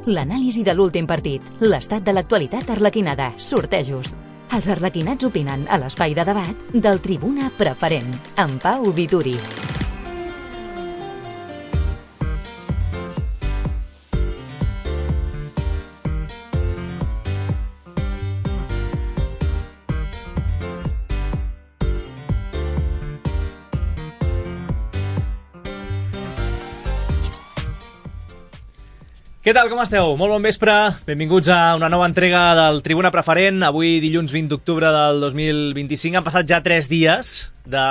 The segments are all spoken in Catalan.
L'anàlisi de l'últim partit, l'estat de l'actualitat arlequinada, sortejos. Els arlequinats opinen a l'espai de debat del Tribuna Preferent, amb Pau Vituri. Què tal, com esteu? Molt bon vespre, benvinguts a una nova entrega del Tribuna Preferent. Avui, dilluns 20 d'octubre del 2025, han passat ja 3 dies de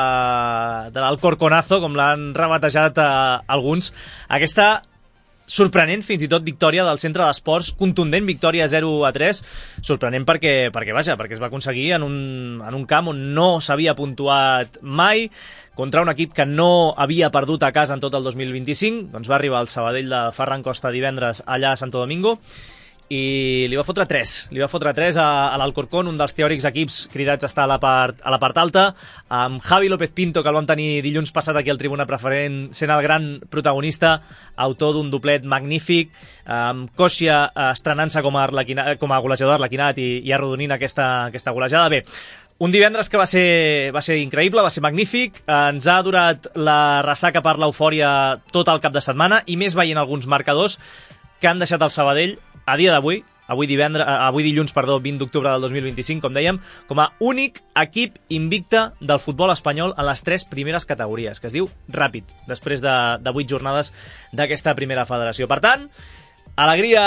l'Alcorconazo, com l'han rebatejat alguns. Aquesta sorprenent, fins i tot, victòria del Centre d'Esports, contundent victòria 0-3, sorprenent perquè es va aconseguir en un camp on no s'havia puntuat mai, contra un equip que no havia perdut a casa en tot el 2025, doncs va arribar el Sabadell de Ferran Costa divendres allà a Santo Domingo, i li va fotre 3 a l'Alcorcón, un dels teòrics equips cridats a estar a la part alta, amb Javi López Pinto, que el vam tenir dilluns passat aquí al Tribuna Preferent, sent el gran protagonista, autor d'un doblet magnífic, amb Kosia estrenant-se com a golejador arlequinat i arrodonint aquesta golejada. Bé, un divendres que va ser increïble, va ser magnífic, ens ha durat la ressaca per l'eufòria tot el cap de setmana, i més veient alguns marcadors que han deixat el Sabadell a dia d'avui, avui dilluns, 20 d'octubre del 2025, com dèiem, com a únic equip invicte del futbol espanyol en les 3 primeres categories, que es diu ràpid, després de 8 jornades d'aquesta primera federació. Per tant, alegria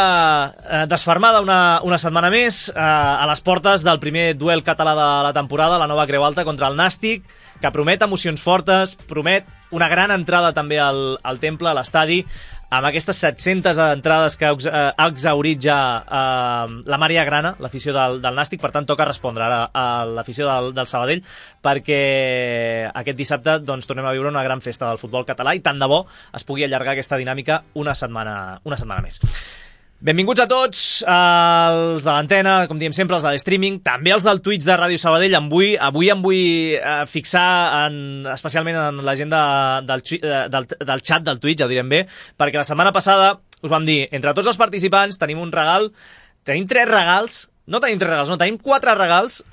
desfermada una setmana més a les portes del primer duel català de la temporada, la nova Creu Alta contra el Nàstic, que promet emocions fortes, promet una gran entrada també al Temple, a l'estadi, amb aquestes 700 entrades que ha exhaurit ja la Maria Grana, l'afició del Nàstic. Per tant, toca respondre ara a l'afició del Sabadell, perquè aquest dissabte tornem a viure una gran festa del futbol català, i tant de bo es pugui allargar aquesta dinàmica una setmana més. Benvinguts a tots, els de l'antena, com diem sempre, els de l'streaming, també els del Twitch de Ràdio Sabadell. Avui em vull fixar especialment en la gent del xat del Twitch, ja ho direm bé, perquè la setmana passada us vam dir, entre tots els participants tenim un regal, tenim 3 regals, no tenim 3 regals, no, tenim 4 regals,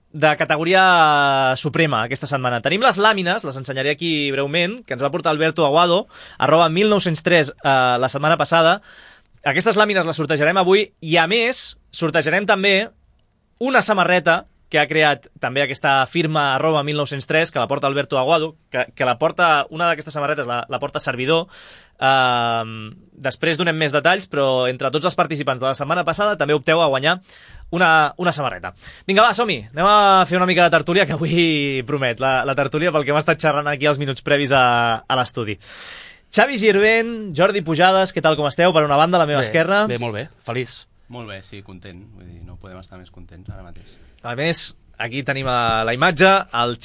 de categoria suprema aquesta setmana. Tenim les làmines, les ensenyaré aquí breument, que ens va portar Alberto Aguado, @1903 la setmana passada. Aquestes làmines les sortejarem avui, i a més sortejarem també una samarreta que ha creat també aquesta firma @1903, que la porta Alberto Aguado, que la porta, una d'aquestes samarretes la porta servidor. Després donem més detalls, però entre tots els participants de la setmana passada també opteu a guanyar una samarreta. Vinga, va, som-hi, anem a fer una mica de tertúlia, que avui promet la tertúlia pel que m'ha estat xerrant aquí els minuts previs a l'estudi. Xavi Girvent, Jordi Pujades, què tal, com esteu? Per una banda, a la meva esquerra. Bé, molt bé, feliç. Molt bé, sí, content. Vull dir, no podem estar més contents ara mateix. A més, aquí tenim la imatge, el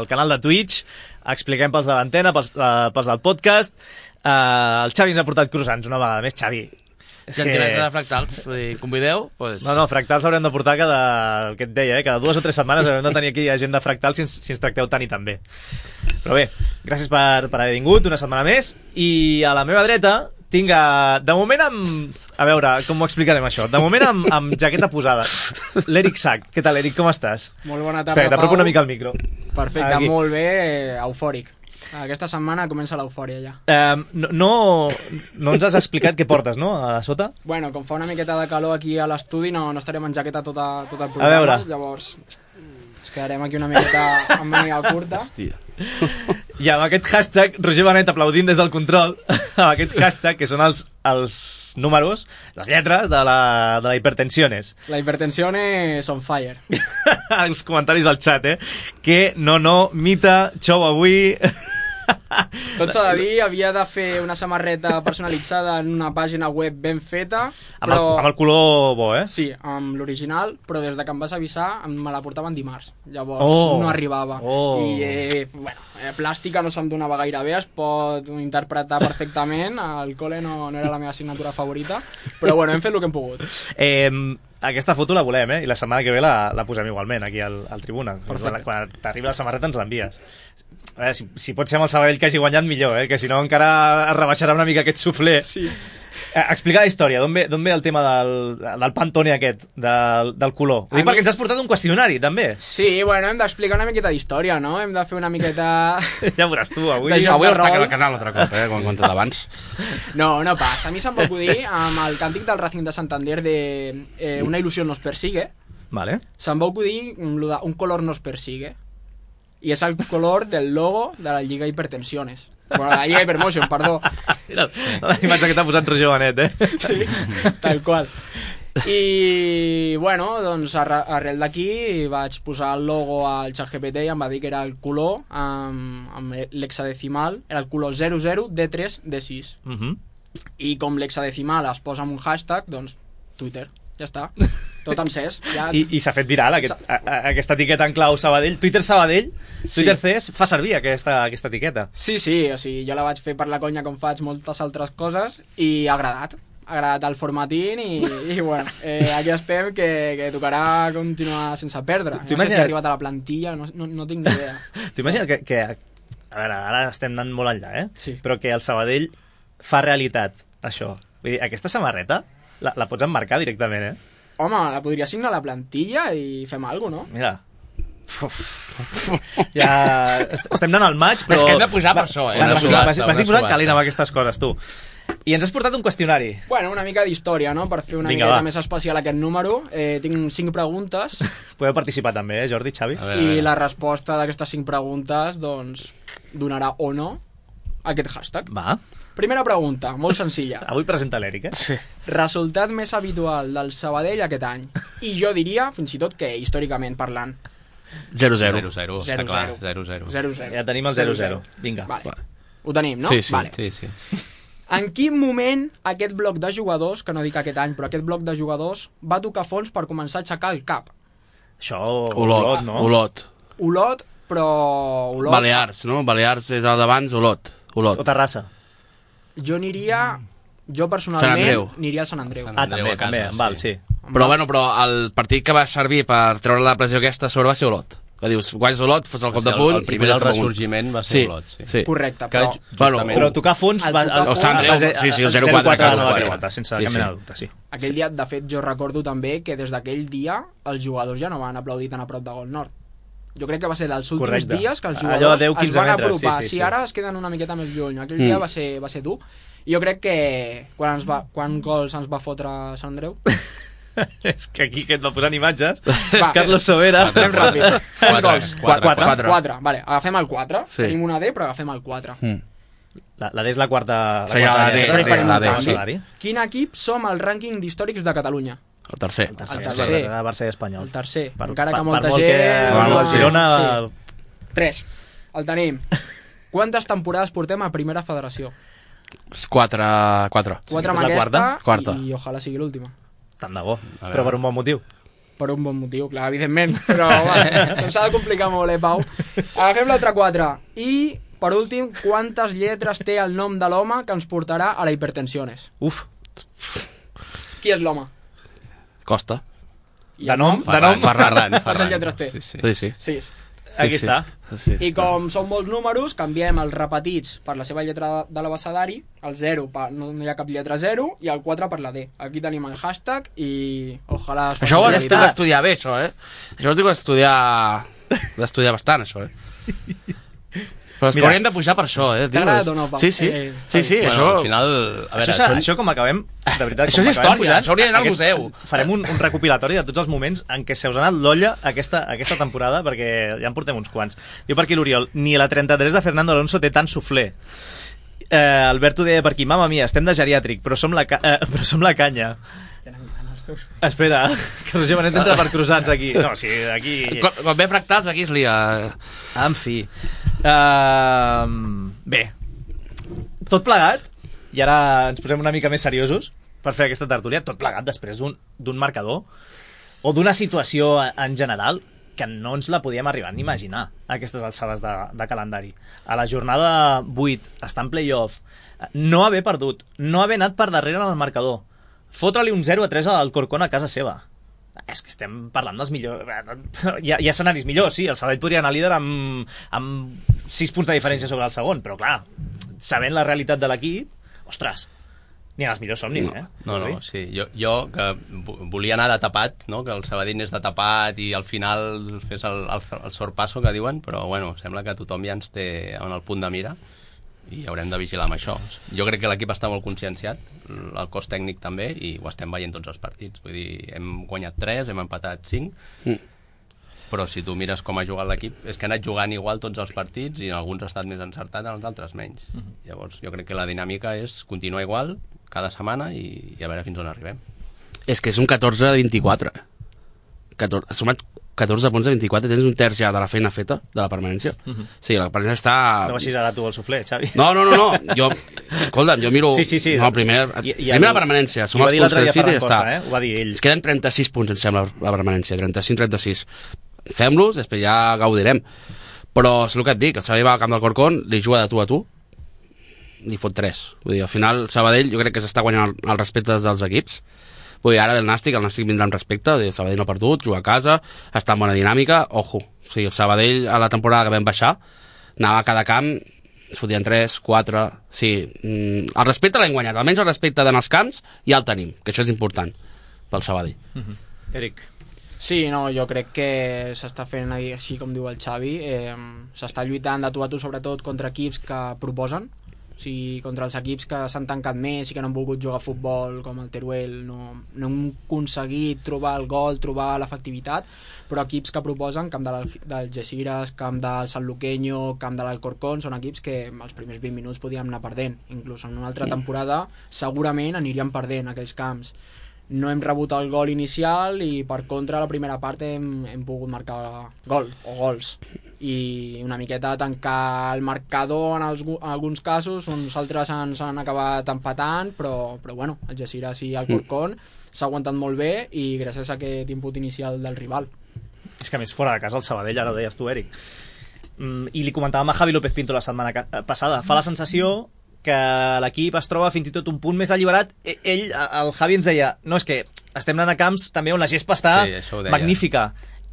canal de Twitch, expliquem pels de l'antena, pels del podcast. El Xavi ens ha portat croissants una vegada més. Xavi, Gentilesa de Fractals, vull dir, convideu? Pues... No, Fractals haurem de portar el que et deia, cada 2 o 3 setmanes haurem de tenir aquí gent de Fractals si ens tracteu tant i tan bé. Però bé, gràcies per haver vingut una setmana més, i a la meva dreta tinc, de moment a veure, com ho explicarem això? De moment amb jaqueta posada, l'Eric Sac. Què tal, Eric, com estàs? Molt bona tarda, Pau. T'apropo una mica al micro. Perfecte, aquí. Molt bé, eufòric. Aquesta setmana comença l'eufòria ja. No ens has explicat què portes, no, a sota? Bueno, com fa una miqueta de calor aquí a l'estudi, no estarem en jaqueta tot el programa. A veure. Llavors ens quedarem aquí una miqueta amb màniga curta. Hòstia. I amb aquest hashtag, Roger Benet aplaudint des del control, amb aquest hashtag, que són els números, les lletres de la Hipertensiones. La Hipertensiones on fire. Els comentaris al xat, que mita, xou avui... Tot s'ha de dir, havia de fer una samarreta personalitzada en una pàgina web ben feta, però... Amb el color bo, Sí, amb l'original, però des de que em vas avisar me la portaven dimarts, llavors no arribava. I, plàstica no se'm donava gaire bé, es pot interpretar perfectament, al col·le no era la meva assignatura favorita, però bueno, hem fet el que hem pogut. aquesta foto la volem, I la setmana que ve la posem igualment aquí al Tribuna. Perfecte. Quan t'arribi la samarreta ens l'envies. A veure, si pot ser amb el Sabadell que hagi guanyat millor, que si no encara es rebaixarà una mica aquest suflé. Sí. Explica la història, d'on ve el tema del Pantone aquest, del color? Ho dic perquè ens has portat un qüestionari, també. Sí, bueno, hem d'explicar una miqueta d'història, no? Hem de fer una miqueta... Ja veuràs tu, avui... Avui està que el canal altre cop, com he contat abans. No passa. A mi se'm va acudir amb el càntic del Racing de Santander de Una il·lusió nos persigue. Vale. Se'm va acudir un color nos persigue. I és el color del logo de la Lliga Hipertensiones. Bueno, la Lliga Hypermotion, perdó. Mira, la imatge que t'ha posat Roger Benet, Sí, tal qual. I, bueno, doncs arrel d'aquí vaig posar el logo al ChatGPT i em va dir que era el color amb l'hexadecimal, era el color 00D3D6. I com l'hexadecimal es posa amb un hashtag, doncs Twitter, ja està. Tot encès. Ja... I s'ha fet viral aquesta etiqueta en clau Sabadell. Twitter Sabadell, Twitter CS, fa servir aquesta etiqueta. Sí, o sigui, jo la vaig fer per la conya com faig moltes altres coses i ha agradat el formatín i bueno, aquí estem que tocarà continuar sense perdre. No sé si ha arribat a la plantilla, no tinc ni idea. T'ho imagines que a veure, ara estem anant molt enllà, Sí. Però que el Sabadell fa realitat això. Vull dir, aquesta samarreta la pots emmarcar directament, Home, la podria signar a la plantilla i fem alguna cosa, no? Mira. Ja estem anant al maig, però... És que hem de posar per això, M'estic posant calent amb aquestes coses, tu. I ens has portat un qüestionari. Bueno, una mica d'història, no? Per fer una miqueta més especial aquest número. Tinc 5 preguntes. Podeu participar també, Jordi, Xavi? I la resposta d'aquestes 5 preguntes, doncs, donarà o no aquest hashtag. Va. Primera pregunta, molt senzilla. Avui presenta l'Eric, Sí. Resultat més habitual del Sabadell aquest any. I jo diria, fins i tot que històricament parlant. 0-0. 0-0, està clar, 0-0. 0-0. Ja tenim el 0-0. Vinga. Vale. Ho tenim, no? Sí, sí. Vale. Sí. En quin moment aquest bloc de jugadors, que no dic aquest any, però aquest bloc de jugadors, va tocar fons per començar a aixecar el cap? Això... Olot, no? Olot, però... Olot... Balears, no? Balears és el d'abans, Olot. O Terrassa. Jo aniria... Jo Sant personalment Andreu. aniria a Sant Andreu. Sant També, a casa, també, val, sí. Però el partit que va servir per treure la pressió aquesta sobre va ser Olot. Que dius, guanys Olot, fos el cop de punt... El primer del ressorgiment va ser Olot, sí. Correcte, Que però... justament... Però tocar fons... El tocar fons- El Sant Andreu, sí, el 0-4 a casa. 0-4, sense cap mena de dubte, sí. Aquell dia, de fet, jo recordo també que des d'aquell dia els jugadors ja no van aplaudir tan a prop de Gol Nord. Jo crec que va ser dels últims Correcte. dies que els Allò jugadors de 10, es 15 van metres, apropar. sí. Si ara es queden una miqueta més lluny. Aquell dia va ser dur. I jo crec que quan gols ens va fotre Sant Andreu? És que aquí que et va posant imatges. Va, Carlos Sobera. Anem ràpid. Quants gols? 4. 4. Vale, agafem el 4. Sí. Tenim una D, però agafem el 4. La D és la quarta... Sí, la D, lletra, farem la un D, canvi. salari. Quin equip som al rànquing d'històrics de Catalunya? El tercer. El tercer. El Barça i Espanyol. El tercer. Per- Encara que per molta molt gent... que no, el Girona... Sí. 3. El tenim. Quantes temporades portem a Primera Federació? 4. 4 aquesta amb és la aquesta quarta. i ojalà sigui l'última. Tant de bo. veure. Però per un bon motiu. Per un bon motiu, clar, evidentment. Però, bueno, s'ha de complicar molt, Pau? Agafem l'altre 4. I, per últim, quantes lletres té el nom de l'home que ens portarà a la Hipertensiones? Uf. Qui és l'home? Costa. I De el nom? Quantes lletres té? Sí. 6. Aquí sí. està. Sí, I com són molts números, canviem els repetits per la seva lletra de l'abecedari, el 0 no hi ha cap lletra 0 i el 4 per la D. Aquí tenim el hashtag i ojalà... Això ho has d'estudiar bé, això, Això ho has d'estudiar bastant, això, Però és que hauríem de pujar per això, T'ha agradat o no, Pau? Sí, Bueno, això... al final... A veure, Això com acabem... De veritat, Això com és acabem història, pujant, això hauria d'anar al museu. Farem un recopilatori de tots els moments en què se us ha anat l'olla aquesta temporada, perquè ja en portem uns quants. Diu per aquí l'Oriol, ni la 33 de Fernando Alonso té tant suflé. Alberto deia per aquí, mama mia, estem de geriàtric, però som la canya. Espera, que Roger Benet entra per croissants aquí. No, sí, aquí... Quan ve fractals, aquí es lia... En fi. Bé, tot plegat, i ara ens posem una mica més seriosos per fer aquesta tertúlia, tot plegat després d'un marcador o d'una situació en general que no ens la podíem arribar ni imaginar a aquestes alçades de calendari. A la jornada 8, estar en play-off, no haver perdut, no haver anat per darrere en el marcador, fotre-li un 0-3 al Corcón a casa seva. És que estem parlant dels millors... Hi ha escenaris millors, sí. El Sabadell podria anar líder amb 6 punts de diferència sobre el segon, però clar, sabent la realitat de l'equip, ostres, ni en els millors somnis, No, sí. Jo que volia anar de tapat, no? Que el Sabadell és de tapat i al final fes el sorpasso que diuen, però bueno, sembla que tothom ja ens té en el punt de mira i haurem de vigilar amb això. Jo crec que l'equip està molt conscienciat, el cos tècnic també, i ho estem veient tots els partits. Vull dir, hem guanyat 3, hem empatat 5, però si tu mires com ha jugat l'equip, és que ha anat jugant igual tots els partits i en alguns ha estat més encertat, en els altres menys. Llavors jo crec que la dinàmica és continuar igual cada setmana i a veure fins on arribem. És que és un 14 de 24. Ha sumat 14 punts de 24, tens un terç ja de la feina feta, de la permanència. Sí, la permanència està... No baixis ara tu el suflé, Xavi. No. Escolta'm, jo miro... Sí. No, primer la permanència. Som els punts que necessita i ja està. Ho va dir ell. Es queden 36 punts, em sembla, la permanència. 35-36. Fem-los, després ja gaudirem. Però és el que et dic, el Sabadell va al camp del Corcón, li juga de tu a tu, li fot 3. Vull dir, al final, el Sabadell jo crec que s'està guanyant el respecte dels equips. Vull dir, ara el Nàstic vindrà amb respecte, el Sabadell no ha perdut, juga a casa, està en bona dinàmica, ojo. O sigui, el Sabadell a la temporada que vam baixar, anava a cada camp, es fotien 3, 4... Sí, el respecte l'hem guanyat, almenys el respecte d'anar als camps ja el tenim, que això és important pel Sabadell. Eric. Sí, no, jo crec que s'està fent així com diu el Xavi, s'està lluitant de tu a tu sobretot contra equips que proposen, o sigui, contra els equips que s'han tancat més i que no han volgut jugar a futbol, com el Teruel, no hem aconseguit trobar el gol, trobar l'efectivitat, però equips que proposen, camp del Algeciras, camp del Sanluqueño, camp de l'Alcorcón, són equips que els primers 20 minuts podíem anar perdent, inclús en una altra temporada segurament aniríem perdent aquells camps. No hem rebut el gol inicial i per contra a la primera part hem pogut marcar gol o gols i una miqueta tancar el marcador en alguns casos, uns altres ens han acabat empatant, però bueno, el Algeciras i el Corcón s'ha aguantat molt bé i gràcies a aquest input inicial del rival. És que a més fora de casa el Sabadell, ara ho deies tu, Eric, i li comentàvem a Javi López Pinto la setmana passada, fa la sensació que l'equip es troba fins i tot un punt més alliberat. El Javi ens deia, no, és que estem anant a camps també on la gespa està magnífica,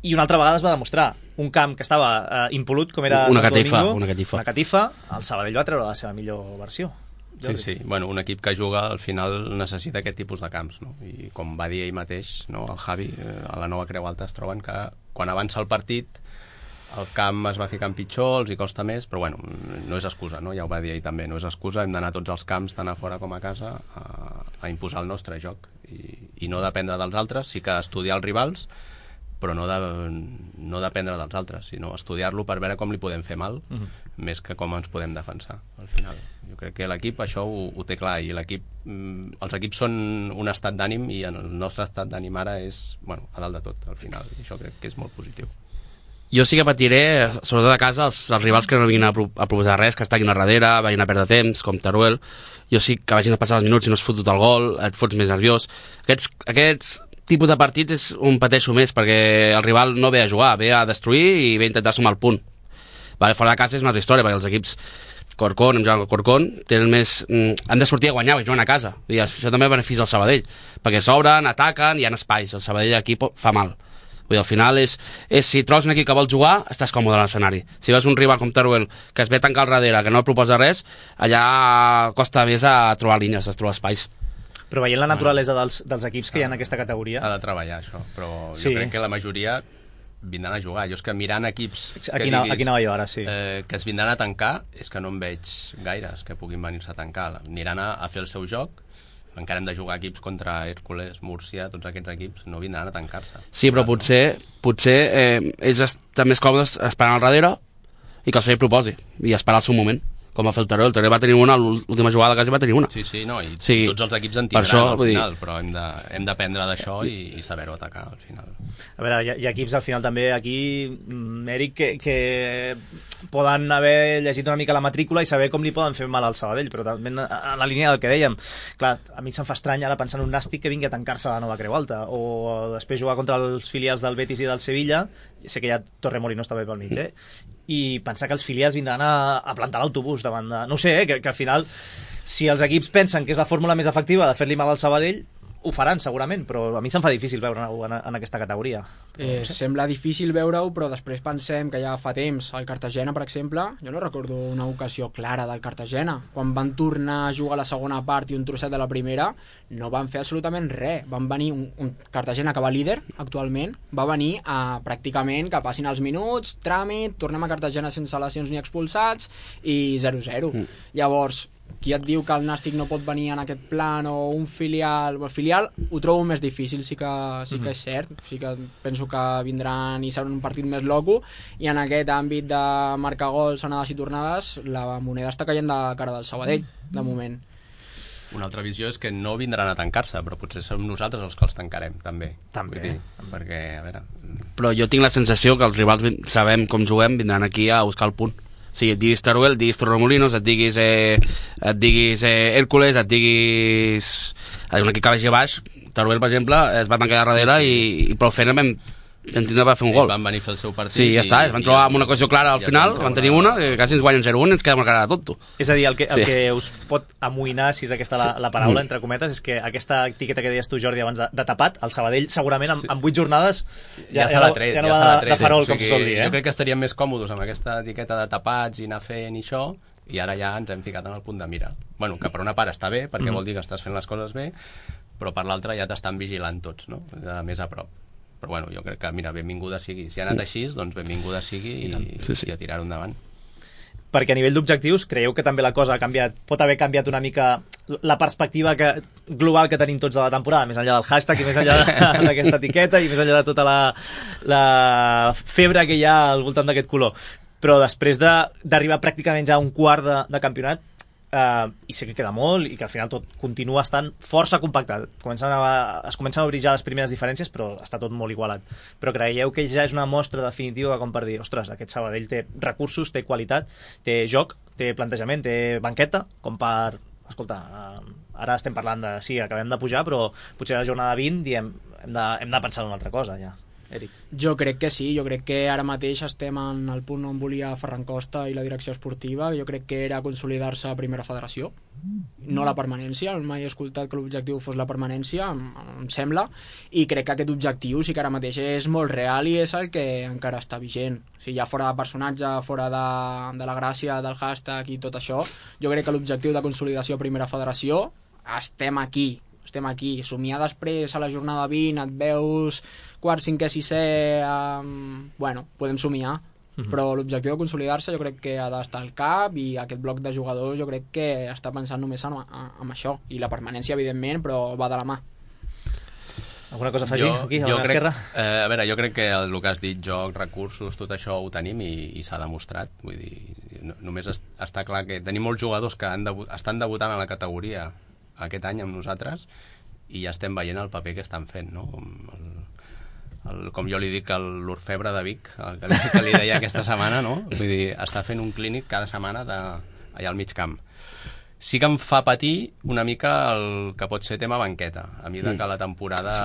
i una altra vegada es va demostrar un camp que estava impolut com era una Santo catifa, Domingo, una catifa, el Sabadell va treure la seva millor versió. Sí, bueno, un equip que juga al final necessita aquest tipus de camps, no? I com va dir ell mateix, no, el Javi, a la Nova Creu Alta es troben que quan avança el partit el camp es va ficant pitjor, els hi costa més, però bueno, no és excusa, no? Ja ho va dir ell també, no és excusa, hem d'anar a tots els camps, tant a fora com a casa, a imposar el nostre joc i no dependre dels altres, sí que estudiar els rivals, però no dependre dels altres, sinó estudiar-lo per veure com li podem fer mal, més que com ens podem defensar, al final. Jo crec que l'equip això ho té clar, i els equips són un estat d'ànim, i el nostre estat d'ànim ara és, bueno, a dalt de tot, al final, i això crec que és molt positiu. Jo sí que patiré, sobretot a casa, els rivals que no vinguin a proposar res, que estiguin a darrere, vagin a perdre temps, com Teruel. Jo sí que vagin a passar els minuts i no es fotut el gol, et fots més nerviós. Aquests tipus de partits és on pateixo més, perquè el rival no ve a jugar, ve a destruir i ve a intentar sumar el punt. Fora de casa és una altra història, perquè els equips Corcón, hem jugat al Corcón, tenen més, han de sortir a guanyar, perquè juguen a casa. I això també beneficia el Sabadell, perquè s'obren, ataquen, hi ha espais. El Sabadell aquí fa mal. Vull dir, al final és si trobes un equip que vol jugar, estàs còmode a l'escenari. Si veus un rival com Teruel que es ve a tancar al darrere, que no et proposa res, allà costa més a trobar línies, a trobar espais. Però veient la naturalesa dels equips que hi ha en aquesta categoria... S'ha de treballar això, però jo crec que la majoria vindran a jugar. Jo és que mirant equips aquí anava jo ara, sí. Que es vindran a tancar, és que no en veig gaires que puguin venir-se a tancar. Aniran a fer el seu joc, encara hem de jugar equips contra Hércules, Múrcia, tots aquests equips no vindran a tancar-se. Sí, però potser ells estan més còmodes esperant al darrere i que el Sabadell proposi i esperar el seu moment, com va fer el Teruel. El Teruel va tenir una, l'última jugada quasi va tenir una. Sí, no, i tots els equips en tindran al final, però hem d'aprendre d'això i saber-ho atacar al final. A veure, hi ha equips al final també aquí, Eric, que poden haver llegit una mica la matrícula i saber com li poden fer mal al Sabadell, però també en la línia del que dèiem. Clar, a mi se'm fa estrany ara pensar en un Nàstic que vingui a tancar-se a la Nova Creu Alta, o després jugar contra els filials del Betis i del Sevilla, sé que ja Torremolinos està bé pel mig, i pensar que els filials vindran a plantar l'autobús davant de... No ho sé, que al final, si els equips pensen que és la fórmula més efectiva de fer-li mal al Sabadell, ho faran segurament, però a mi se'm fa difícil veure-ho en aquesta categoria. No sé. Sembla difícil veure-ho, però després pensem que ja fa temps el Cartagena, per exemple, jo no recordo una ocasió clara del Cartagena, quan van tornar a jugar la segona part i un trosset de la primera, no van fer absolutament res. Van venir un Cartagena que va líder actualment, va venir a pràcticament que passin els minuts, tràmit, tornem a Cartagena sense lesions ni expulsats i 0-0. Llavors, qui et diu que el Nàstic no pot venir en aquest plan o un filial... El filial ho trobo més difícil, sí que és cert, sí que penso que vindran i serà un partit més loco, i en aquest àmbit de marcar gols, anades i tornades, la moneda està caient de cara del Sabadell, de moment. Una altra visió és que no vindran a tancar-se, però potser som nosaltres els que els tancarem, també. També. Vull dir, perquè, a veure... Però jo tinc la sensació que els rivals sabem com juguem, vindran aquí a buscar el punt. O sigui, et diguis Teruel, et diguis Torremolinos, et diguis Hércules, et diguis un equip que vagi a baix. Teruel, per exemple, es va tancar darrere i prou feina vam tindre per fer un gol. Ells van venir a fer el seu partit. Sí, ja està, es van trobar amb una ocasió clara al final, van tenir una, que quasi ens guanyen 0-1 i ens quedem a cara de tonto. És a dir, el que us pot amoïnar, si és aquesta la paraula, entre cometes, és que aquesta etiqueta que deies tu, Jordi, abans de tapat, el Sabadell segurament en 8 jornades ja se l'ha tret, ja no va de farol, com se sol dir. Jo crec que estaríem més còmodes amb aquesta etiqueta de tapats i anar fent això, i ara ja ens hem ficat en el punt de mira. Bueno, que per una part està bé, perquè vol dir que estàs fent les coses bé, però per l'altra ja t'estan vigilant tots, no? De més a prop. Però bueno, jo crec que, mira, benvinguda sigui. Si ha anat així, doncs benvinguda sigui i a tirar-ho endavant. Perquè a nivell d'objectius, creieu que també la cosa ha canviat, pot haver canviat una mica la perspectiva global que tenim tots de la temporada, més enllà del hashtag i més enllà d'aquesta etiqueta i més enllà de tota la febre que hi ha al voltant d'aquest color. Però després d'arribar pràcticament ja a un quart de campionat, i sé que queda molt i que al final tot continua estant força compactat, es comencen a obrir ja les primeres diferències, però està tot molt igualat. Però creieu que ja és una mostra definitiva com per dir, ostres, aquest Sabadell té recursos, té qualitat, té joc, té plantejament, té banqueta, com per... Escolta, ara estem parlant de... Sí, acabem de pujar, però potser a la jornada 20 diem, hem de pensar en una altra cosa, ja. Eric. Jo crec que sí, jo crec que ara mateix estem en el punt on volia Ferran Costa i la direcció esportiva. Jo crec que era consolidar-se a primera federació, no la permanència. Mai he escoltat que l'objectiu fos la permanència, em sembla, i crec que aquest objectiu sí que ara mateix és molt real i és el que encara està vigent. O sigui, ja fora de personatge, fora de la gràcia del hashtag i tot això, jo crec que l'objectiu de consolidació a primera federació estem aquí, somiar després a la jornada 20, et veus quart, cinquè, sisè, bueno, podem somiar, però l'objectiu de consolidar-se jo crec que ha d'estar al cap, i aquest bloc de jugadors jo crec que està pensant només en això, i la permanència evidentment, però va de la mà. Alguna cosa a afegir aquí, a l'esquerra? A veure, jo crec que el que has dit, joc, recursos, tot això ho tenim i s'ha demostrat. Vull dir, només està clar que tenim molts jugadors que estan debutant a la categoria aquest any amb nosaltres i ja estem veient el paper que estan fent, no? Com jo li dic, l'orfebre de Vic, que li deia aquesta setmana, no? Vull dir, està fent un clínic cada setmana allà al mig camp. Sí que em fa patir una mica el que pot ser tema banqueta, a mesura que la temporada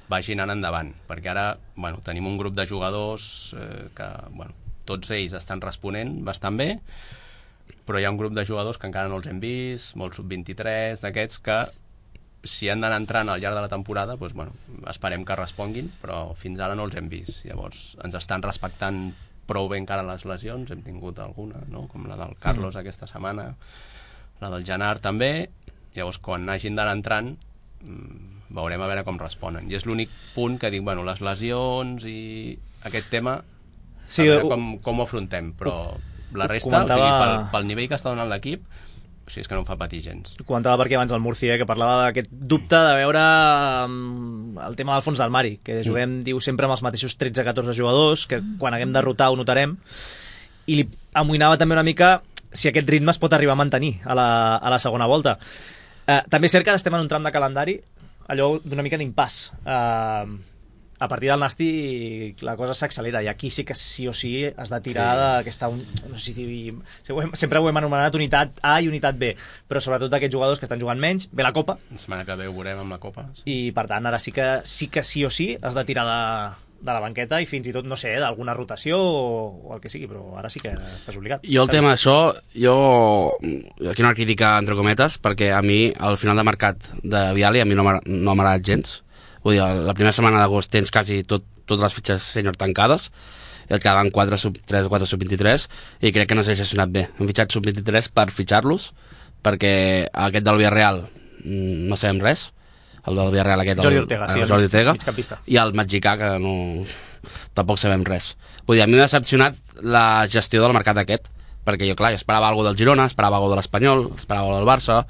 vagi anant endavant, perquè ara, bueno, tenim un grup de jugadors que, bueno, tots ells estan responent bastant bé, però hi ha un grup de jugadors que encara no els hem vist, molts sub-23 d'aquests, que si han d'anar entrant al llarg de la temporada, doncs, bueno, esperem que responguin, però fins ara no els hem vist. Llavors ens estan respectant prou bé encara les lesions, hem tingut alguna, no? Com la del Carlos aquesta setmana, la del Genard també. Llavors quan hagin d'anar entrant veurem a veure com responen, i és l'únic punt que dic, bueno, les lesions i aquest tema, sí, a veure com ho afrontem, però la resta, comentava... o sigui, pel nivell que està donant l'equip, o sigui, és que no em fa patir gens. Comentava perquè abans el Murci, que parlava d'aquest dubte de veure el tema del fons del Mari, que juguem, diu, sempre amb els mateixos 13-14 jugadors, que quan haguem de rotar ho notarem, i li amoïnava també una mica si aquest ritme es pot arribar a mantenir a la segona volta. També és cert que estem en un tram de calendari allò d'una mica d'impàs. A partir del Nàstic la cosa s'accelera, i aquí sí que sí o sí has de tirar d'aquesta, no sé si sempre ho hem anomenat unitat A i unitat B, però sobretot d'aquests jugadors que estan jugant menys, ve la Copa, la setmana que ve ho veurem amb la Copa, i per tant ara sí que sí o sí has de tirar de la banqueta i fins i tot, no sé, d'alguna rotació o el que sigui, però ara sí que estàs obligat. Jo el tema d'això, aquí una crítica entre cometes, perquè a mi al final de mercat de Viali a mi no m'ha agradat gens. Vull dir, la primera setmana d'agost tens quasi totes les fitxes sènior tancades, i et quedaven 4 sub-3 o 4 sub-23, i crec que no s'ha gestionat bé. Hem fitxat sub-23 per fitxar-los, perquè aquest del Villarreal no sabem res, el del Villarreal aquest, Jordi Ortega, Jordi Ortega, migcampista. I el mexicà, que no, tampoc sabem res. Vull dir, a mi m'ha decepcionat la gestió del mercat aquest, perquè jo, clar, esperava alguna del Girona, esperava alguna de l'Espanyol, esperava alguna del Barça,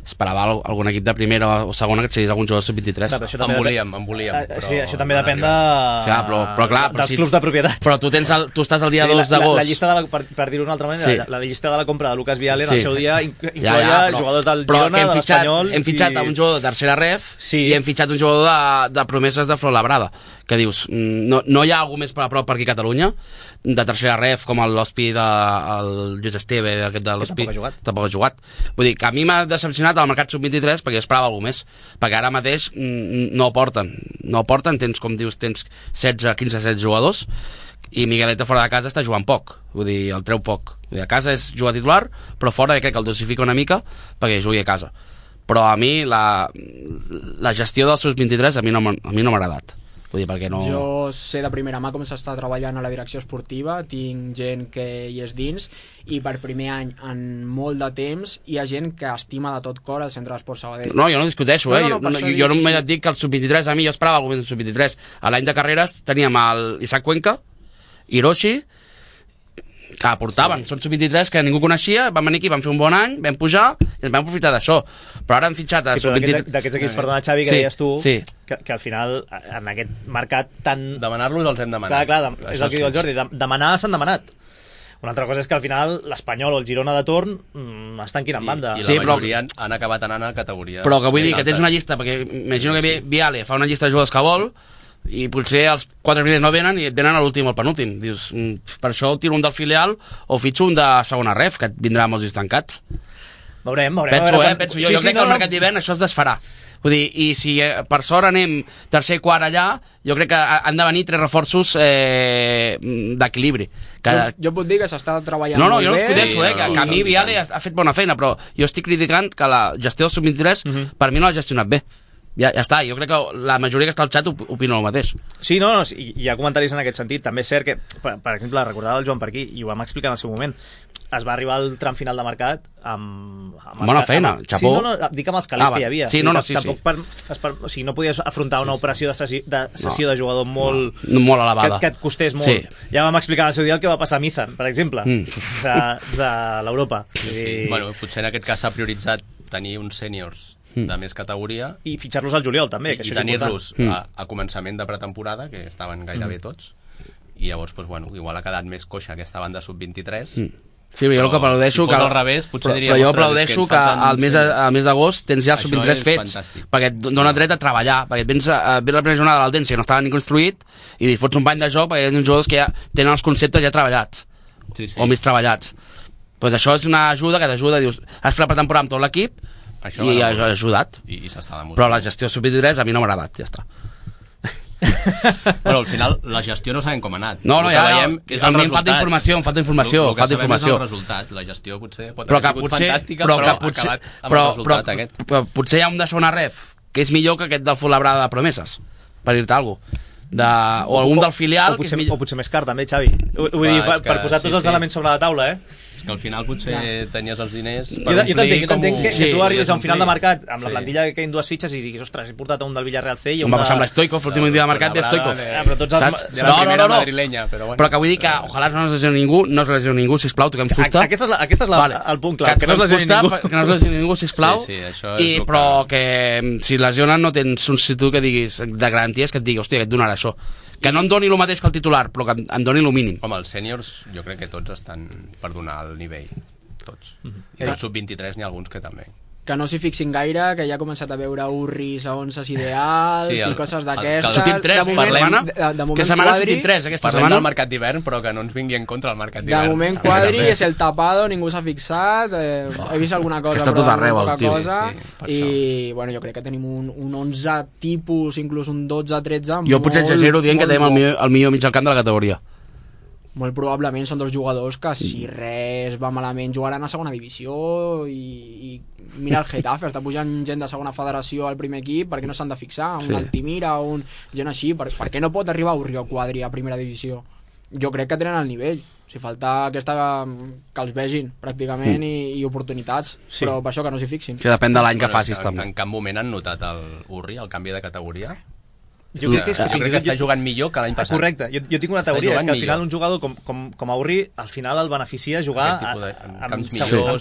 esperava algun equip de primera o segona que et cedís algun jugador sub-23. En volíem. Sí, això també depèn de... Sí, però clar, dels clubs de propietat. Però tu estàs el dia 2 d'agost. La llista, per dir-ho d'una altra manera, sí. la llista de la compra de Lucas Viale en el seu dia incloia jugadors del Girona, de l'Espanyol... Hem fitxat un jugador de tercera ref i hem fitxat un jugador de promeses de Fuenlabrada, que dius, no hi ha algú més per a prop per aquí a Catalunya, de tercera ref, com l'Hospi el Lluís Esteve, aquest de l'Hospi, tampoc ha jugat. Vull dir que a mi m'ha decepcionat el mercat sub-23 perquè jo esperava alguna més, perquè ara mateix no aporten, tens, com dius, tens 15-16 jugadors, i Migueleta fora de casa està jugant poc, vull dir, el treu poc. Vull dir, a casa és jugar titular, però fora crec que el dosifica una mica perquè jugui a casa. Però a mi la gestió dels sub-23 a mi no m'ha agradat. Vull dir, perquè no... Jo sé de primera mà com s'està treballant a la direcció esportiva, tinc gent que hi és dins, i per primer any en molt de temps hi ha gent que estima de tot cor el Centre d'Esport Sabadell. No, jo no discuteixo, jo només et dic que el sub-23, a mi jo esperava algú més del sub-23. A l'any de carreres teníem el Isaac Cuenca, Hiroshi, que aportaven, són sub-23 que ningú coneixia, van venir aquí, van fer un bon any, vam pujar i ens vam aprofitar d'això, però ara han fitxat a sub-23... d'aquests equips, perdona Xavi, que deies tu, que al final en aquest mercat tan... Demanar-los els hem demanat. Clar, és el que diu el Jordi, demanar s'han demanat. Una altra cosa és que al final l'Espanyol o el Girona de torn estan quinant banda. I la majoria han acabat anant a categories. Però que vull dir que tens una llista, perquè imagino que Viale fa una llista de jugadors que vol, i potser els 4 primers no venen i et venen a l'últim o al penúltim. Dius, per això tiro un del filial o fitxo un de segona ref, que et vindrà molts dies tancats. Veurem. Penso. Jo crec que el mercat d'hivern això es desfarà. Vull dir, i si per sort anem tercer i quart allà, jo crec que han de venir 3 reforços d'equilibri. Jo puc dir que s'està treballant molt bé. Jo no discuteixo, que a mi Viale ha fet bona feina, però jo estic criticant que la gestió del sub-23 per mi no l'ha gestionat bé. Ja està, jo crec que la majoria que està al xat opina el mateix. Sí, hi ha comentaris en aquest sentit. També és cert que, per exemple, recordava el Joan per aquí, i ho vam explicar en el seu moment, es va arribar al tram final de mercat amb bona feina, xapó. Sí, dic amb els calés que hi havia. Sí, o sigui, no podies afrontar una operació de cessió de jugador molt elevada, que et costés molt. Ja vam explicar en el seu dia el que va passar a Mizan, per exemple, de l'Europa. Bueno, potser en aquest cas s'ha prioritzat tenir uns sèniors de més categoria i fitxar-los al juliol també, que i tenir-los a començament de pretemporada, que estaven gairebé tots, i llavors igual ha quedat més coixa aquesta banda sub-23. Sí, jo aplaudeixo si fos al revés, potser diria, però jo aplaudeixo que al mes d'agost tens ja els sub-23 fets, perquè et dona dret a treballar, perquè vens la primera jornada de l'Aldense, que no estava ni construït, i fots un bany de joc perquè hi ha uns jugadors que ja tenen els conceptes ja treballats, o més treballats. Doncs això és una ajuda que t'ajuda, dius, has fet la pretemporada amb tot l'equip, i ha ajudat. I s'està demostrant. Però la gestió sub-23 a mi no m'ha agradat, ja està. Bueno, al final la gestió no sabem com ha anat. No, ja veiem, a mi em falta informació. El que sabem és el resultat. La gestió potser pot haver sigut fantàstica, però ha acabat amb el resultat aquest. Però potser hi ha un de segona ref que és millor que aquest del Fuenlabrada de promeses, per dir-te alguna cosa. O algun del filial o potser més car també, Xavi. Vull dir, per posar tots els elements sobre la taula, que al final potser tenies els diners per omplir com... que tu arribis a un final de mercat amb la plantilla que queden 2 fitxes i diguis, ostres, he portat un del Villarreal C i un va passar amb l'Stoikov, l'últim dia de mercat ve Stoikov, saps? De la primera madrilenya, però que vull dir que ojalà no es lesioni ningú, sisplau, toquem fusta. Aquest és el punt clau, que no es lesioni ningú, sisplau, però que si lesionen no tens un substitut que diguis de garanties, que et digui, hòstia, que et donarà això, que no em doni el mateix que el titular, però que em doni el mínim. Home, els sèniors jo crec que tots estan per donar el nivell, tots. I del sub-23 n'hi ha alguns que també. que no s'hi fixin gaire, que ja ha començat a veure urris a 11 ideals i coses d'aquestes. Sortim 3, de moment que setmana Quadri, sortim 3 aquesta parlem setmana. del mercat d'hivern, però que no ens vingui en contra el mercat d'hivern. De moment Quadri és el tapado, ningú s'ha fixat, he vist alguna cosa, està tot arreu, el tio. I bueno, jo crec que tenim un 11 tipus, inclús un 12-13. Jo potser exagero dient que tenim el millor mig al camp de la categoria. Molt probablement són dos jugadors que si res va malament jugaran a segona divisió i mira el Getafe, està pujant gent de segona federació al primer equip, per què no s'han de fixar? Un Altimira, gent així, per què no pot arribar Urrio Quadri a primera divisió? Jo crec que tenen el nivell, si falta aquesta que els vegin pràcticament i oportunitats, però per això que no s'hi fixin. Que depèn de l'any que facis també. En cap moment han notat el Urri, el canvi de categoria? Jo crec que està jugant millor que l'any passat. Correcte, jo tinc una teoria, és que al final un jugador com Aurri, al final el beneficia jugar amb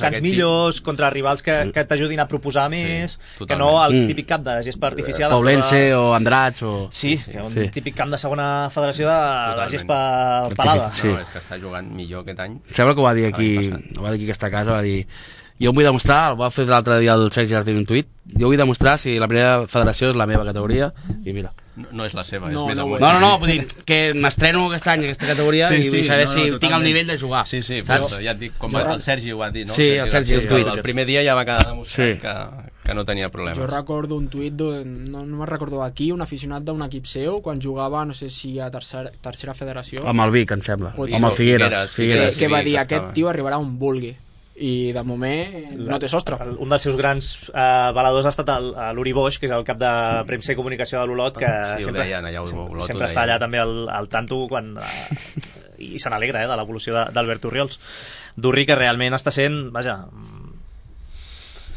camps millors, contra rivals que t'ajudin a proposar més, que no el típic camp de gespa artificial. Paulense o Andrats o... Sí, un típic camp de segona federació de la gespa pelada. No, és que està jugant millor aquest any. Sembla que ho va dir aquí aquesta casa, va dir... Jo em vull demostrar, el va fer l'altre dia el Sergi García en un tuit, jo vull demostrar si la primera federació és la meva categoria, i mira. No és la seva, és més amunt. No, vull dir que m'estreno aquest any aquesta categoria i vull saber si tinc el nivell de jugar. Sí, però ja et dic, com el Sergi ho va dir, no? Sí, el Sergi, el primer dia ja va quedar demostrat que no tenia problemes. Jo recordo un tuit, no me'n recordo aquí, un aficionat d'un equip seu, quan jugava, no sé si a tercera federació. Amb el Vic, em sembla. Amb el Figueres. Que va dir, aquest tio arribarà on vulgui. I de moment no té sostre. Un dels seus grans baladors ha estat l'Uri Boix, que és el cap de premsa i comunicació de l'Olot, que sempre està allà també al tanto i se n'alegra de l'evolució d'Albert Orriols. D'Urri, que realment està sent, vaja,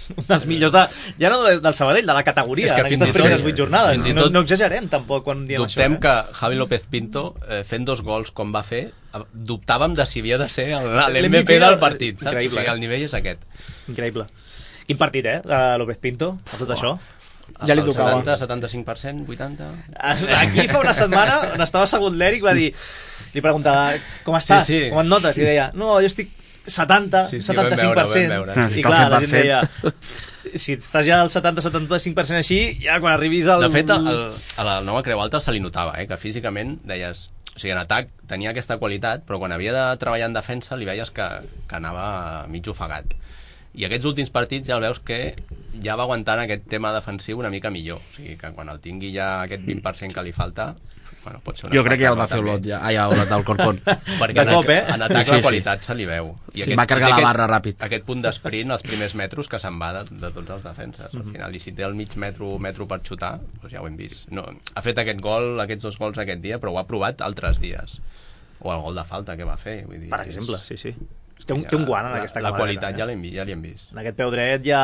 un dels millors ja no del Sabadell, de la categoria, en aquestes primeres 8 jornades. No exagerem tampoc quan diem això. Dubtem que Javi López Pinto, fent 2 gols com va fer, dubtàvem de si havia de ser l'MVP del partit, saps? O sigui, el nivell és aquest. Increïble. Quin partit, de López Pinto, a tot això? Ja li tocava. 75%, 80%... Aquí fa una setmana, on estava assegut l'Eric, va dir, li preguntava, com estàs? Com et notes? I deia, no, jo estic 70-75%. I clar, la gent deia, si estàs ja al 70-75% així, ja quan arribis al... De fet, a la nova Creu Alta se li notava, que físicament deies... O sigui, en atac tenia aquesta qualitat, però quan havia de treballar en defensa li veies que anava mig ofegat. I aquests últims partits ja el veus que ja va aguantant aquest tema defensiu una mica millor. O sigui, que quan el tingui ja aquest 20% que li falta... Bueno, pot ser jo crec que ja el va fer Olot, Olot del Corcón. Perquè en atac la qualitat se li veu. I va carregar la barra ràpid. Aquest punt d'esprint, els primers metres que se'n va de tots els defenses. Al final, i si té el mig metro per xutar, doncs ja ho hem vist. No, ha fet aquests 2 gols aquest dia, però ho ha provat altres dies. O el gol de falta que va fer. Vull dir, per exemple, sí. Té un guant en aquesta camarada. La qualitat ja l'hem vist. En aquest peu dret ja...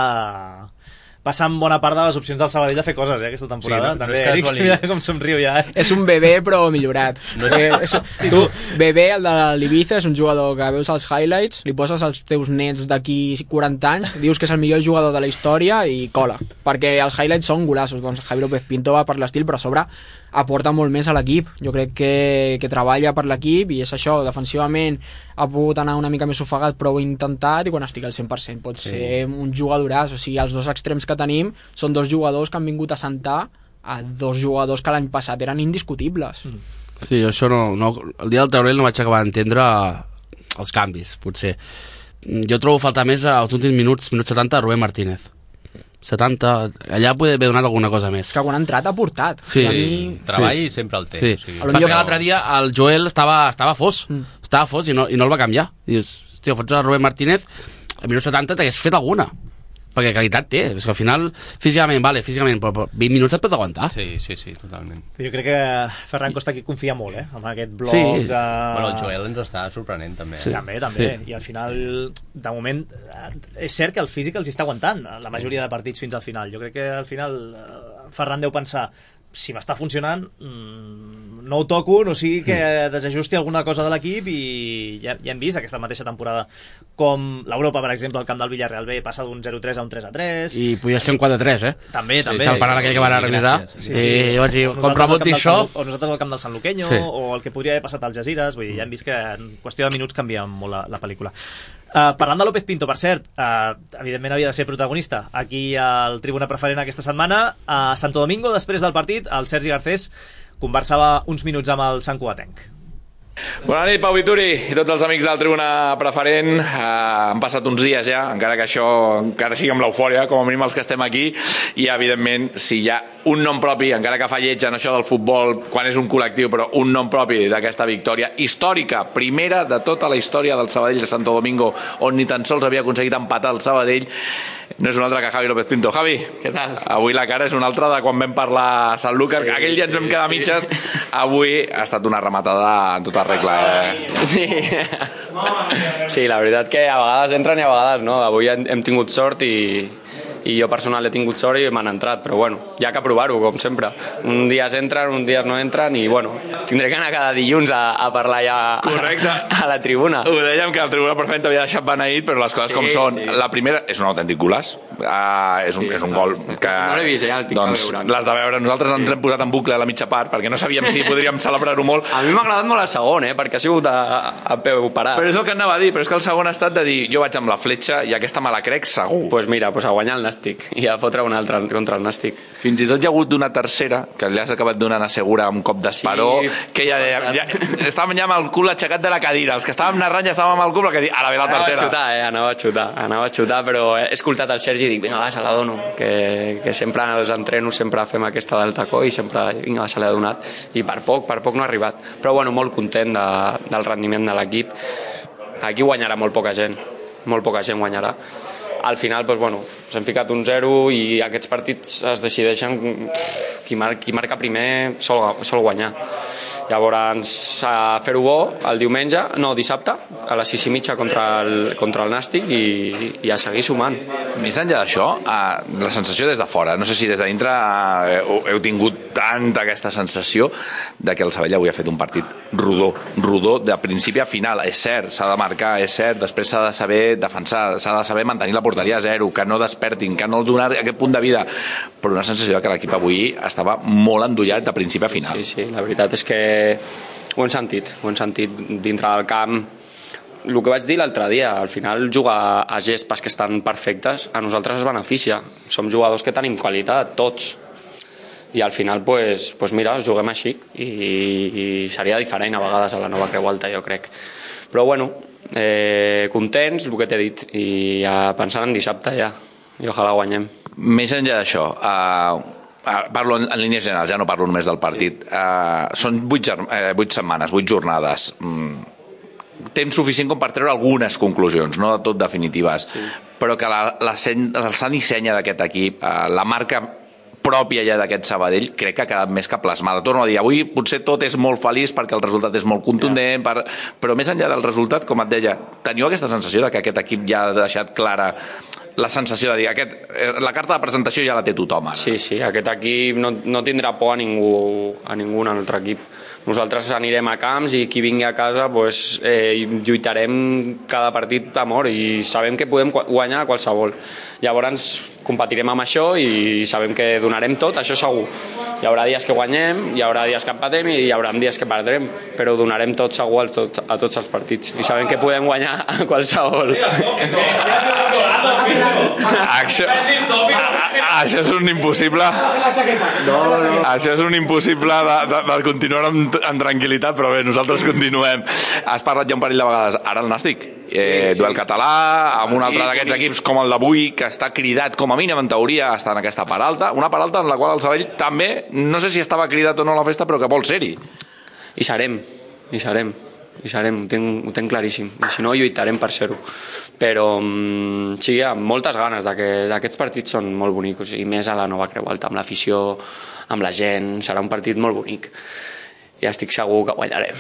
passant bona part de les opcions del Sabadell a fer coses, aquesta temporada. Sí, també, Eric, mira com somriu ja. És un bebè, però millorat. Tu, bebè, el de l'Ibiza, és un jugador que veus els highlights, li poses als teus nets d'aquí 40 anys, dius que és el millor jugador de la història i cola. Perquè els highlights són golassos. Doncs Javi López Pinto va per l'estil, però a sobre aporta molt més a l'equip. Jo crec que treballa per l'equip i és això, defensivament ha pogut anar una mica més ofegat, però ho ha intentat, i quan estigui al 100% pot ser un jugadoràs. O sigui, els 2 extrems que tenim són 2 jugadors que han vingut a sentar a 2 jugadors que l'any passat eren indiscutibles. Sí, això no, el dia del Taurell no vaig acabar d'entendre els canvis, potser. Jo trobo faltar més als últims minuts 70, Rubén Martínez. 70, allà podia haver donat alguna cosa més. Que quan ha entrat ha portat. Sí. Treball sempre el té. Sí. O sigui, passa que l'altre dia el Joel estava fos. Estava fos i no el va canviar. Dius, hòstia, fots a Rubén Martínez, a minut 70 t'hagués fet alguna. Perquè qualitat té, és que al final físicament, però 20 minuts et pot aguantar. Sí, totalment. Jo crec que Ferran Costa aquí confia molt, amb aquest bloc de... Bueno, el Joel ens està sorprenent també. Sí. També. I al final, de moment, és cert que el físic els està aguantant la majoria de partits fins al final. Jo crec que al final Ferran deu pensar, si m'està funcionant, no ho toco, no sigui que desajusti alguna cosa de l'equip, i ja hem vist aquesta mateixa temporada com l'Europa, per exemple, al camp del Villarreal B passa d'un 0-3 a un 3-3. I podia ser un 4-3, També. Que el penal aquell que van revisar. I jo vaig dir, com reboti això... O nosaltres al camp del Sant Luqueño, o el que podria haver passat al Jaziras. Vull dir, ja hem vist que en qüestió de minuts canvia molt la pel·lícula. Parlant de López Pinto, per cert, evidentment havia de ser protagonista aquí al Tribuna Preferent aquesta setmana. A Santo Domingo, després del partit, el Sergi Garcés conversava uns minuts amb el Sant Cugatenc. Bona nit, Pau Vituri i tots els amics del Tribuna Preferent. Han passat uns dies ja, encara que això encara sigui amb l'eufòria, com a mínim els que estem aquí, i evidentment si hi ha un nom propi, encara que fa lleig en això del futbol quan és un col·lectiu, però un nom propi d'aquesta victòria històrica, primera de tota la història del Sabadell de Santo Domingo, on ni tan sols havia aconseguit empatar el Sabadell, no és un altre que Javi López Pinto. Javi, què tal? Avui la cara és una altra de quan vam parlar a Sanlúcar, sí, aquell dia ens vam quedar mitges, avui ha estat una rematada en tota regla. Sí. Sí, la veritat que a vegades entren i a vegades no. Avui hem tingut sort i jo personal he tingut sort i m'han entrat, però bueno, hi ha que provar-ho, com sempre. Un dia entren, un dia no entren i bueno, tindré que anar cada dilluns a parlar ja a la tribuna. Ho dèiem que el Tribuna Preferent t'havia deixat beneït, però les coses com són. Sí. La primera és un autèntic golaç, és un gol que... No l'he vist, ja el tinc doncs, a veure. Les de veure, nosaltres ens hem posat en bucle a la mitja part, perquè no sabíem si podríem celebrar-ho molt. A mi m'ha agradat molt el segon, perquè ha sigut a peu parat. Però és el que anava a dir, però és que el segon ha estat de dir, jo vaig amb la fletxa i aquesta me la crec segur. Pues mira, a guanyar el Nàstic i a fotre un altre contra el Nàstic. Fins i tot hi ha hagut una tercera que li has acabat donant a Segura un cop d'esperó, sí, que ja estàvem ja amb el cul aixecat de la cadira, els que estàvem narrant ja estàvem amb el cul, que ara ve la tercera. Anava a xutar, però he escoltat el Sergi i dic, vinga, va, se la dono, que sempre als entrenos sempre fem aquesta del tacó i sempre, vinga, va, se l'ha donat, i per poc no ha arribat, però bueno, molt content del rendiment de l'equip. Aquí guanyarà molt poca gent guanyarà. Al final, doncs, bueno, s'han ficat un 0 i aquests partits es decideixen qui marca primer sol guanyar. Llavors, a fer-ho bo el dissabte, a les 6:30 contra el Nàstic i a seguir sumant. Més enllà d'això, la sensació des de fora, no sé si des de dintre heu tingut tanta aquesta sensació de que el Sabadell avui ha fet un partit rodó de principi a final. És cert, s'ha de marcar, és cert, després s'ha de saber defensar, s'ha de saber mantenir la porteria a 0, que no despertin, que no donar aquest punt de vida, però una sensació de que l'equip avui estava molt endollat de principi a final. Sí, la veritat és que ho hem sentit dintre del camp. El que vaig dir l'altre dia, al final jugar a gespes que estan perfectes a nosaltres es beneficia. Som jugadors que tenim qualitat, tots, i al final pues mira, juguem així i seria diferent a vegades a la nova Creu Alta, jo crec, però bueno, contents, el que t'he dit, i pensant en dissabte ja, i ojalà guanyem. Més enllà d'això, parlo en línies generals, ja no parlo només del partit, són 8 setmanes, 8 jornades, temps suficient com per treure algunes conclusions, no de tot definitives, sí, però que el sant i senya d'aquest equip, la marca pròpia ja d'aquest Sabadell, crec que ha quedat més que plasmada. Torno a dir, avui potser tot és molt feliç perquè el resultat és molt contundent, però més enllà del resultat, com et deia, teniu aquesta sensació de que aquest equip ja ha deixat clara la sensació de dir, la carta de presentació ja la té tothom ara? Sí, aquest equip no tindrà por a ningú altre equip. Nosaltres anirem a camps i qui vingui a casa lluitarem cada partit a mort i sabem que podem guanyar qualsevol. Llavors competirem amb això i sabem que donarem tot, això segur. Hi haurà dies que guanyem, hi haurà dies que empatem i hi haurà dies que perdrem, però donarem tot segur a tots els partits i sabem que podem guanyar a qualsevol. Això és un impossible. Això és un impossible de continuar en tranquil·litat, però bé, nosaltres continuem. Has parlat ja un parell de vegades, ara el Nàstic, duel català, amb un altre d'aquests equips com el d'avui, que està cridat com a mínim en teoria a estar en aquesta part alta, una part alta en la qual el Sabadell també, no sé si estava cridat o no a la festa, però que vol ser-hi. I serem, ho tenc claríssim, i si no lluitarem per ser-ho, però sí, amb moltes ganes d'aquests partits són molt bonics, i més a la nova Creu Alta, amb l'afició, amb la gent, serà un partit molt bonic. Ja estic segur que guanyarem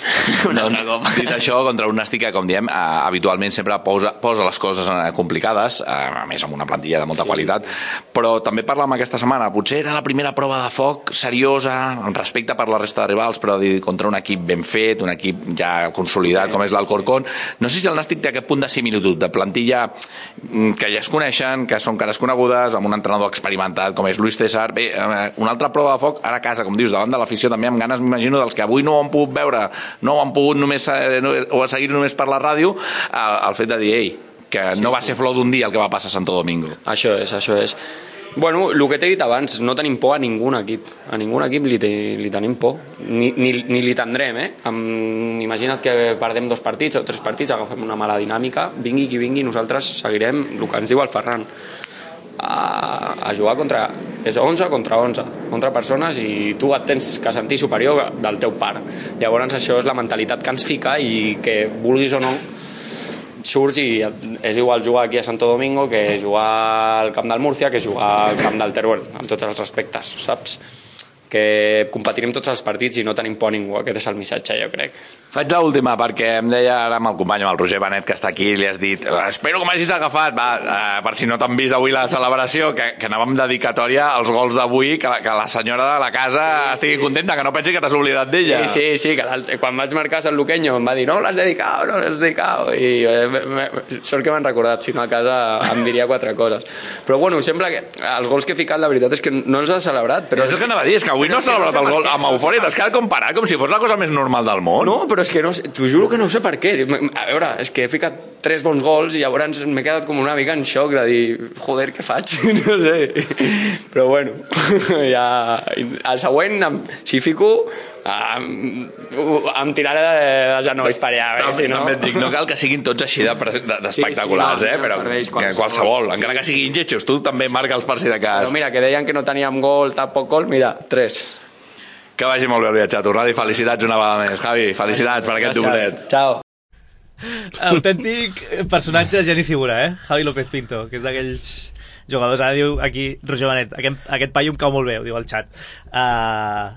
un altre cop. Dit això, contra un Nàstic que, com diem, habitualment sempre posa les coses complicades, a més amb una plantilla de molta qualitat, però també parlàvem aquesta setmana, potser era la primera prova de foc seriosa, amb respecte per la resta de rivals, però contra un equip ben fet, un equip ja consolidat com és l'Alcorcón. No sé si el Nàstic té aquest punt de similitud, de plantilla que ja es coneixen, que són cares conegudes, amb un entrenador experimentat com és Luis César. Bé, una altra prova de foc, ara a casa, com dius, davant de l'afició, també amb ganes, m'imagino, dels que avui no ho han pogut veure, no ho han pogut només o seguir només per la ràdio, el fet de dir, ei, no va ser flor d'un dia el que va passar a Santo Domingo. Això és. Bueno, el que t'he dit abans, no tenim por a ningun equip. A ningun equip li tenim por. Ni li tindrem, Imagina't que perdem 2 partits o 3 partits, agafem una mala dinàmica, vingui qui vingui, nosaltres seguirem el que ens diu el Ferran. A jugar contra... És 11 contra 11 persones i tu et tens que sentir superior del teu par. Llavors això és la mentalitat que ens fica i que vulguis o no surts i és igual jugar aquí a Santo Domingo que jugar al camp del Múrcia que jugar al camp del Teruel, amb tots els respectes, saps? Que competirem tots els partits i no tenim por a ningú. Aquest és el missatge, jo crec. Faig l'última, perquè em deia ara amb el company, amb el Roger Benet, que està aquí, li has dit espero que m'hagis agafat, per si no t'han vist avui la celebració, que anàvem dedicatòria als gols d'avui, que la senyora de la casa estigui contenta, que no pensi que t'has oblidat d'ella. Sí, que quan vaig marcar Sant Luqueño em va dir no l'has dedicat, i sort que m'han recordat, si no a casa em diria 4 coses. Però bueno, sembla que els gols que he ficat, la veritat és que no els ha celebrat. Però és que anava a dir, és que avui no ha celebrat el gol amb eufòria, t'has quedat comparat com si fos la cosa més normal del món. No, però és que no, t'ho juro que no sé per què. A veure, és que he ficat 3 bons gols i llavors m'he quedat com una mica en xoc de dir, joder, què faig? No sé. Però bueno, ja... El següent, si fico, em tiraré de genolls per allà. Si no... També et dic, no cal que siguin tots així d'espectaculars, però que qualsevol, encara que siguin lletjos, tu també marca'ls per si de cas. Però mira, que deien que no teníem gol, tampoc gol, mira, 3. Que vagi molt bé el viatge a tornar i felicitats una vegada més. Javi, felicitats per aquest doblet. Ciao. Autèntic personatge, geni figura, Javi López Pinto, que és d'aquells jugadors, ara diu aquí Roger Benet, aquest paio em cau molt bé, ho diu al xat.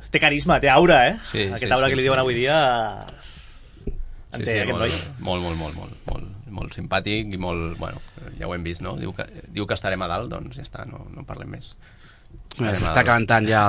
Té carisma, té aura, Sí, aquest aura que li diuen avui dia sí, aquest noi. Molt simpàtic i molt, bueno, ja ho hem vist, no? Diu que estarem a dalt, doncs ja està, no parlem més. S'està calentant ja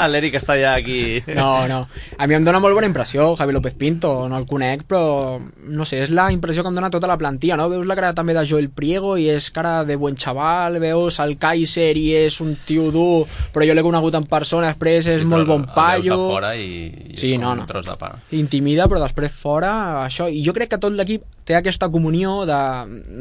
l'Eric està ja aquí. No, a mi em dona molt bona impressió Javi López Pinto, no el conec, però no sé, és la impressió que em dona tota la plantilla, no? Veus la cara també de Joel Priego i és cara de buen xaval, veus el Kaiser i és un tio dur, però jo l'he conegut en persona, després és molt bon paio. El veus a fora i és com un tros de pa. Intimida, però després fora, això. I jo crec que tot l'equip té aquesta comunió de...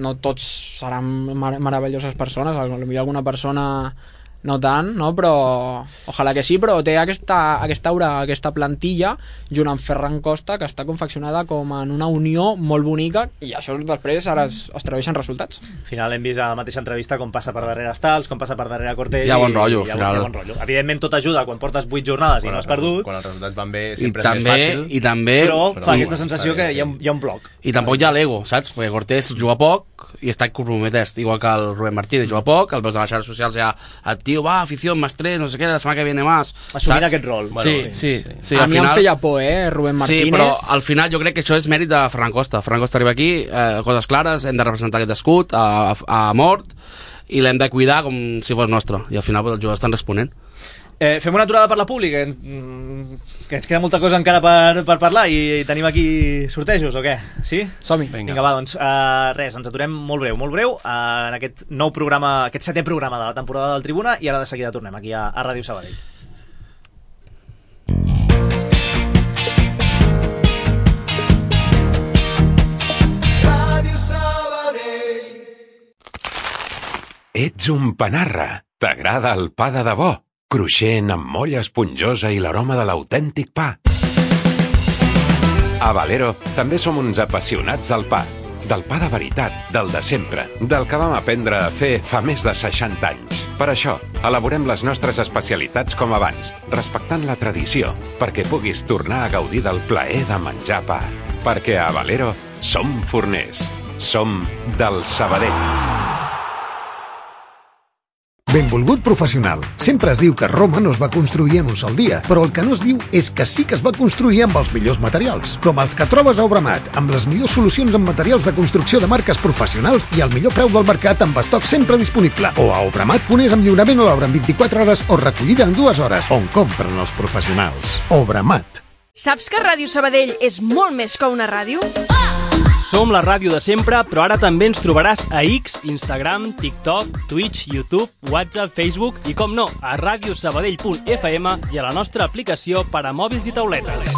No tots seran meravelloses persones, potser alguna persona no tant, no? Però ojalà que sí, però té aquesta aura, aquesta plantilla junt amb Ferran Costa, que està confeccionada com en una unió molt bonica i això després ara es tradueix en resultats. Al final hem vist a la mateixa entrevista com passa per darrere Stals, com passa per darrere Cortés. Hi ha bon rotllo, al final. Bon rotllo. Evidentment tot ajuda quan portes 8 jornades i no has perdut. Quan els resultats van bé sempre és més fàcil. Però fa aquesta sensació que hi ha un bloc. I tampoc hi ha l'ego, saps? Perquè Cortés juga poc i està compromès, igual que el Rubén Martínez juga poc, el veus a les xarxes socials ja el tio, afició, más 3, no sé què, la setmana que viene más. Assumint aquest rol. Sí. A mi em feia por, Rubén Martínez. Sí, però al final jo crec que això és mèrit de Ferran Costa. Ferran Costa arriba aquí, coses clares, hem de representar aquest escut a mort i l'hem de cuidar com si fos nostre. I al final els jugadors estan responent. Fem una aturada per la pública, que ens queda molta cosa encara per parlar i tenim aquí sortejos o què? Sí? Som-hi. Vinga, va, doncs res, ens aturem molt breu en aquest nou programa, aquest 7è programa de la temporada del Tribuna i ara de seguida tornem aquí a Ràdio Sabadell. Ràdio Sabadell. Ets un panarra. T'agrada el pa de debò? Cruixent, amb molla esponjosa i l'aroma de l'autèntic pa. A Valero també som uns apassionats del pa. Del pa de veritat, del de sempre, del que vam aprendre a fer fa més de 60 anys. Per això, elaborem les nostres especialitats com abans, respectant la tradició, perquè puguis tornar a gaudir del plaer de menjar pa. Perquè a Valero som forners. Som del Sabadell. Benvolgut professional. Sempre es diu que Roma no es va construir en un sol dia, però el que no es diu és que sí que es va construir amb els millors materials, com els que trobes a Obramat, amb les millors solucions en materials de construcció de marques professionals i el millor preu del mercat amb estoc sempre disponible. O a Obramat.es amb lliurament a l'obra en 24 hores o recollida en 2 hores, on compren els professionals. Obramat. Saps que Ràdio Sabadell és molt més que una ràdio? Som la ràdio de sempre, però ara també ens trobaràs a X, Instagram, TikTok, Twitch, YouTube, WhatsApp, Facebook i, com no, a radiosabadell.fm i a la nostra aplicació per a mòbils i tauletes.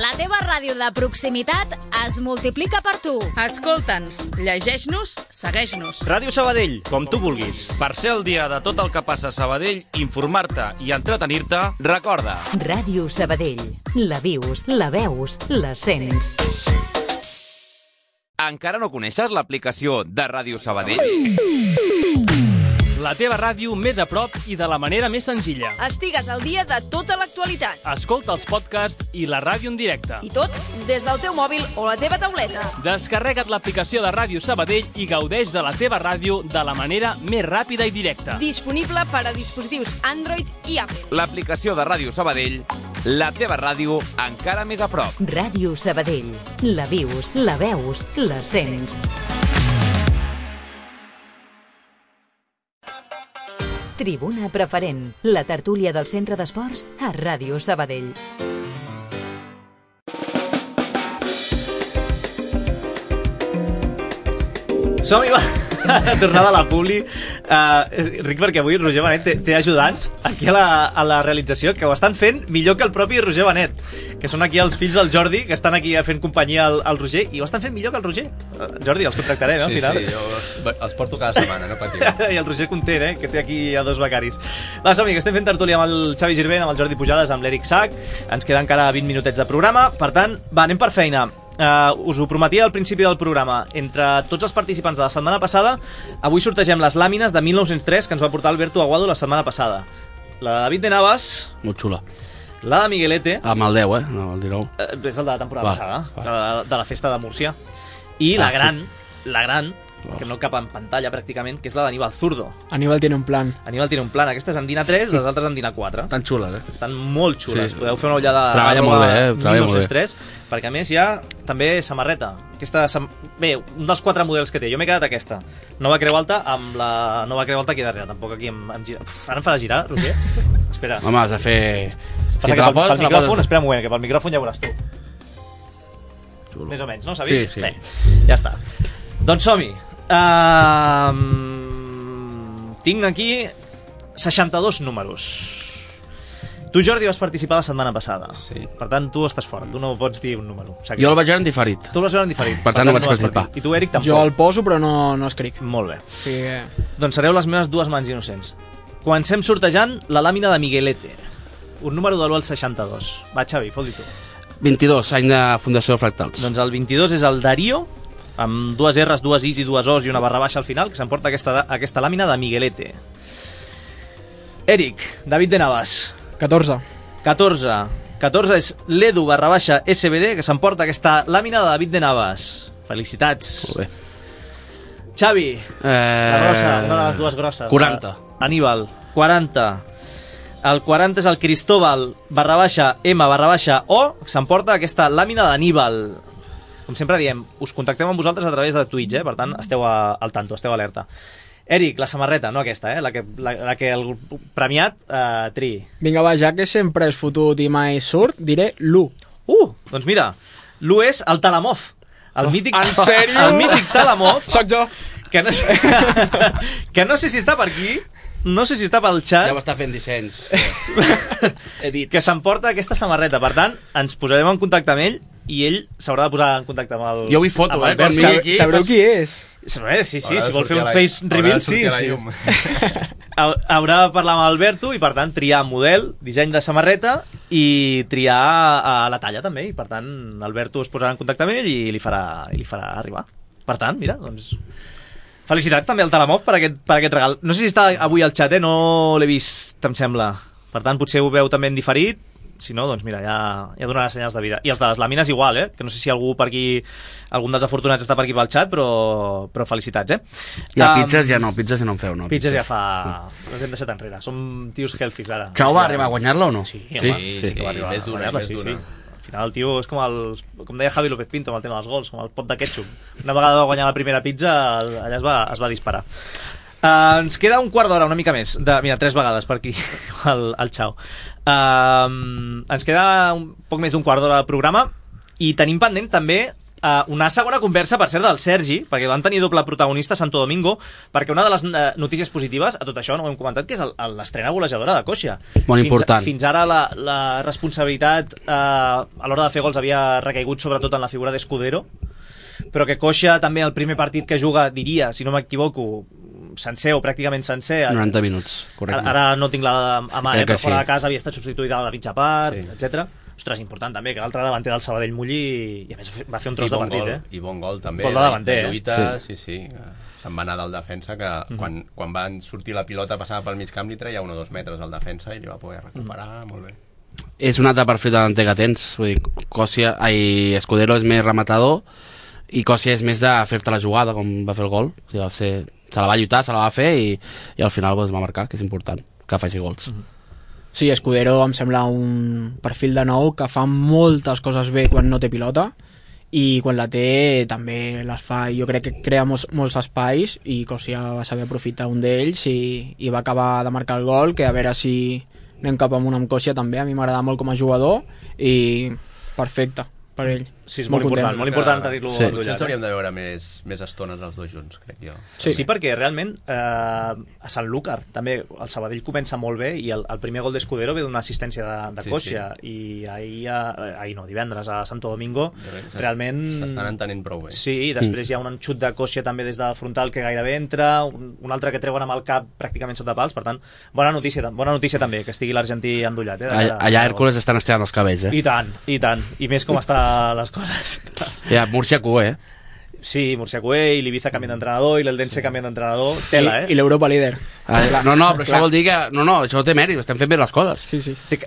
La teva ràdio de proximitat es multiplica per tu. Escolta'ns, llegeix-nos, segueix-nos. Ràdio Sabadell, com tu vulguis. Per ser al dia de tot el que passa a Sabadell, informar-te i entretenir-te, recorda. Ràdio Sabadell. La vius, la veus, la sents. Encara no coneixes l'aplicació de Ràdio Sabadell? La teva ràdio més a prop i de la manera més senzilla. Estigues al dia de tota l'actualitat. Escolta els podcasts i la ràdio en directe. I tot des del teu mòbil o la teva tauleta. Descarrega't l'aplicació de Ràdio Sabadell i gaudeix de la teva ràdio de la manera més ràpida i directa. Disponible per a dispositius Android i Apple. L'aplicació de Ràdio Sabadell, la teva ràdio encara més a prop. Ràdio Sabadell. La vius, la veus, la sents. Tribuna Preferent, la tertúlia del Centre d'Esports a Ràdio Sabadell. Som-hi, va! Tornada a la publi. Ric, perquè avui Roger Benet té ajudants aquí a la realització que ho estan fent millor que el propi Roger Benet, que són aquí els fills del Jordi, que estan aquí fent companyia al Roger, i ho estan fent millor que el Roger. Jordi, els contractarem, al final. Sí, jo els porto cada setmana, no patiu. I el Roger content, que té aquí a dos becaris. Va, som-hi, que estem fent tertúlia amb el Xavi Girbent, amb el Jordi Pujades, amb l'Eric Sac. Ens queda encara 20 minutets de programa. Per tant, va, anem per feina. Us ho prometia al principi del programa. Entre tots els participants de la setmana passada, avui sortegem les làmines de 1903 que ens va portar Alberto Aguado la setmana passada. La de David de Navas, molt xula. La de Miguelete, amb el 10, no el 19. És el de la temporada passada, de la festa de Múrcia. I la gran, que no cap en pantalla pràcticament, que és la d'Aníbal Zurdo. Aníbal tiene un plan. Aníbal tiene un plan. Aquesta és en Dina 3, les altres en Dina 4. Estan xules, Estan molt xules. Sí. Podeu fer una ullada. Treballa molt bé, treballa molt bé. 3, perquè a més hi ha també samarreta. Bé, un dels 4 models que té. Jo m'he quedat aquesta. Nova Creu Alta amb la nova Creu Alta aquí darrere. Tampoc aquí em gira. Ara em fa de girar, Roger. Espera. Home, has de fer... Si te la poses, pel micròfon, espera un moment, que pel micròfon ja veuràs tu. Xulo. Més o menys, no? S'ha vist? Sí. Bé, ja està. Doncs som-hi. Tinc aquí 62 números. Tu, Jordi, vas participar la setmana passada. Sí. Per tant, tu estàs fort. Tu no pots dir un número. Jo el vaig veure en diferit. Tu el vas veure en diferit. Per tant, no vaig participar. I tu, Eric, tampoc. Jo el poso, però no escric. Molt bé. Sí. Doncs sereu les meves dues mans innocents. Comencem sortejant la làmina de Miguelete. Un número de l'1 al 62. Va, Xavi, fot-hi tu. 22, any de Fundació Fractals. Doncs el 22 és el Darío, amb 2 R's, 2 I's i 2 O's i una barra baixa al final, que s'emporta aquesta làmina de Miguelete. Eric, David de Navas. 14 és l'Edu barra baixa SBD, que s'emporta aquesta làmina de David de Navas. Felicitats. Molt bé. Xavi, la grossa, una de les dues grosses. 40. Aníbal, 40. El 40 és el Cristóbal barra baixa M barra baixa O, que s'emporta aquesta làmina d'Aníbal. Com sempre diem, us contactem amb vosaltres a través de Twitch, per tant, esteu al tanto, esteu alerta. Eric, la samarreta, no aquesta, la que el premiat triï. Vinga, va, ja que sempre és fotut i mai surt, diré l'1. Doncs mira, l'1 és el Talamov. El mític, en sèrio? El mític Talamov. Soc jo. Que no sé si està per aquí, no sé si està pel xat. Ja m'està fent dissenys. Edits. Que s'emporta aquesta samarreta. Per tant, ens posarem en contacte amb ell i ell s'haurà de posar en contacte amb el... Jo vull foto, quan Sabreu aquí. Sabreu qui és? Sí, si vol fer un face reveal, sí. Haurà de parlar amb Alberto i, per tant, triar model, disseny de samarreta i triar la talla, també. I, per tant, Alberto es posarà en contacte amb ell i li farà arribar. Per tant, mira, doncs... Felicitats també al Talamov per aquest regal. No sé si està avui al xat, no l'he vist, em sembla. Per tant, potser ho veu també en diferit. Si no, doncs mira, ja donarà senyals de vida. I els de les làmines igual, que no sé si algú per aquí, algun dels afortunats està per aquí pel xat, però felicitats, I a pizzas ja no en feu, no? Pizzas ja fa... Les hem deixat enrere. Som tios healthies ara. Xau va arribar a guanyar-la o no? Sí, que va arribar a guanyar-la, sí. Al final el tio és com deia Javi López Pinto amb el tema dels gols, com el pot de ketchup. Una vegada va guanyar la primera pizza, allà es va disparar. Ens queda un quart d'hora, una mica més. Mira, 3 vegades per aquí, el xau. Ens queda un poc més d'un quart d'hora de programa i tenim pendent també una segona conversa, per cert, del Sergi, perquè van tenir doble protagonista a Santo Domingo, perquè una de les notícies positives a tot això, no ho hem comentat, que és l'estrena golejadora de Kosia. Molt important. Fins ara la responsabilitat a l'hora de fer gols havia recaigut sobretot en la figura d'Escudero, però que Kosia també el primer partit que juga, diria, si no m'equivoco, sencer o pràcticament sencer. 90 minuts, correcte. Ara no tinc la mà, però sí. fora de casa havia estat substituïda a la mitja part, etc. Ostres, important també que l'altre davanter del Sabadell mulli i a més va fer un tros de partit. I bon gol també. Gol de davanter. De lluita, sí. Se'n va anar del defensa, que quan van sortir la pilota passava pel mig camp li treia 1 o 2 metres al defensa i li va poder recuperar molt bé. És un altre perfil de davanter que tens, vull dir, Escudero és més rematador i Kosia és més de fer-te la jugada, com va fer el gol. O sigui, se la va lluitar, se la va fer i al final va marcar, que és important que faci gols. Sí, Escudero em sembla un perfil de nou que fa moltes coses bé quan no té pilota i quan la té també les fa. Jo crec que crea molts espais i Kosia va saber aprofitar un d'ells i va acabar de marcar el gol, que a veure si anem cap amunt amb Kosia també. A mi m'agrada molt com a jugador i perfecte per ell. Sí, és molt important tenir-lo endollat. Ens hauríem de veure més estones els dos junts, crec jo. Sí, perquè realment a Sant Lúcar també el Sabadell comença molt bé i el primer gol d'Escudero ve d'una assistència de Kosia i divendres a Santo Domingo realment... S'estan entenent prou bé. Sí, i després hi ha un xut de Kosia també des del frontal que gairebé entra, un altre que treuen amb el cap pràcticament sota pals, per tant, bona notícia també que estigui l'argentí endollat. Allà Hércules estan estirant els cabells, I tant, i més com estan les coses. Ja, Múrcia Cué, Sí, Múrcia Cué, i l'Ibiza canvien d'entrenador, i l'Eldense canvien d'entrenador. Tela, I l'Europa líder. No, però això vol dir que... No, això té mèrit, estem fent bé les coses. Sí. Té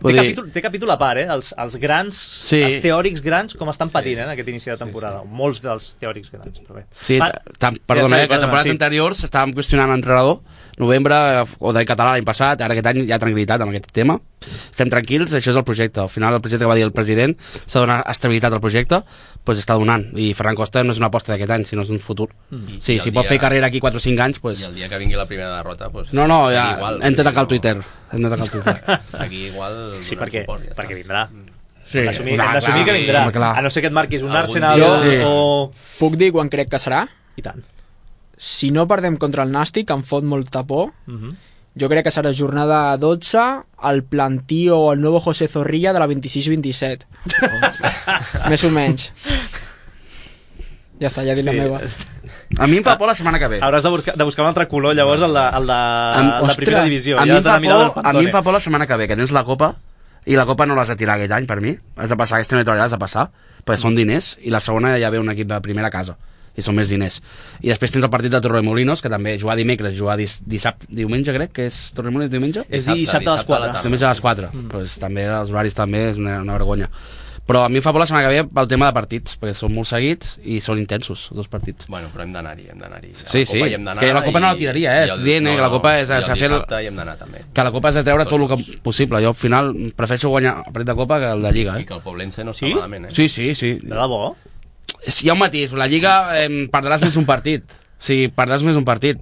capítol a part, els grans, els teòrics grans, com estan patint en aquest inici de temporada. Molts dels teòrics grans, però bé. Sí, perdona, que temporades anteriors estàvem qüestionant l'entrenador, novembre, o de català l'any passat, ara aquest any hi ha tranquil·litat amb aquest tema. Estem tranquils, això és el projecte. Al final el projecte que va dir el president s'ha de donar estabilitat al projecte, doncs està donant. I Ferran Costa no és una aposta d'aquest any, sinó és un futur. Sí, si pot fer carrera aquí 4 o 5 anys, doncs... I el dia que vingui la primera derrota, doncs... No, ja hem de tacar el Twitter. Seguir igual... Sí, perquè vindrà. Sí, hem d'assumir que vindrà. A no ser que et marquis un Arsenal o... Puc dir quan crec que serà? I tant. Si no perdem contra el Nàstic, em fot molta por. Jo crec que serà jornada 12, el Plantío o el nuevo José Zorrilla de la 26-27. Més o menys. Ja està, ja he dit la meva. A mi em fa por la setmana que ve. Hauràs de buscar un altre color, llavors, el de primera divisió. A mi em fa por la setmana que ve, que tens la Copa, i la Copa no l'has de tirar aquest any, per mi. Has de passar, aquesta neutralitat has de passar, perquè són diners, i la segona ja ve un equip de primera casa. I són més diners. I després tens el partit de Torremolinos, que també jugar dimecres, jugar dissabte, diumenge, crec que és Torremolinos diumenge? És dissabte a les 4. Diumenge a les 4. Pues també els horaris també és una vergonya. Però a mi em fa por la setmana que ve pel tema de partits, perquè són molt seguits i són intensos, els dos partits. Bueno, però hem d'anar-hi. Sí, que la Copa no la tiraria, és dient que la Copa és de fer... hi hem d'anar també. Que la Copa és de treure tot el que possible. Jo al final prefereixo guanyar el partit de Copa que el de Lliga. I que el Poblense no està malament, Sí. De debò? Hi ha un matís, la Lliga perdràs més un partit. Sí, perdràs més un partit.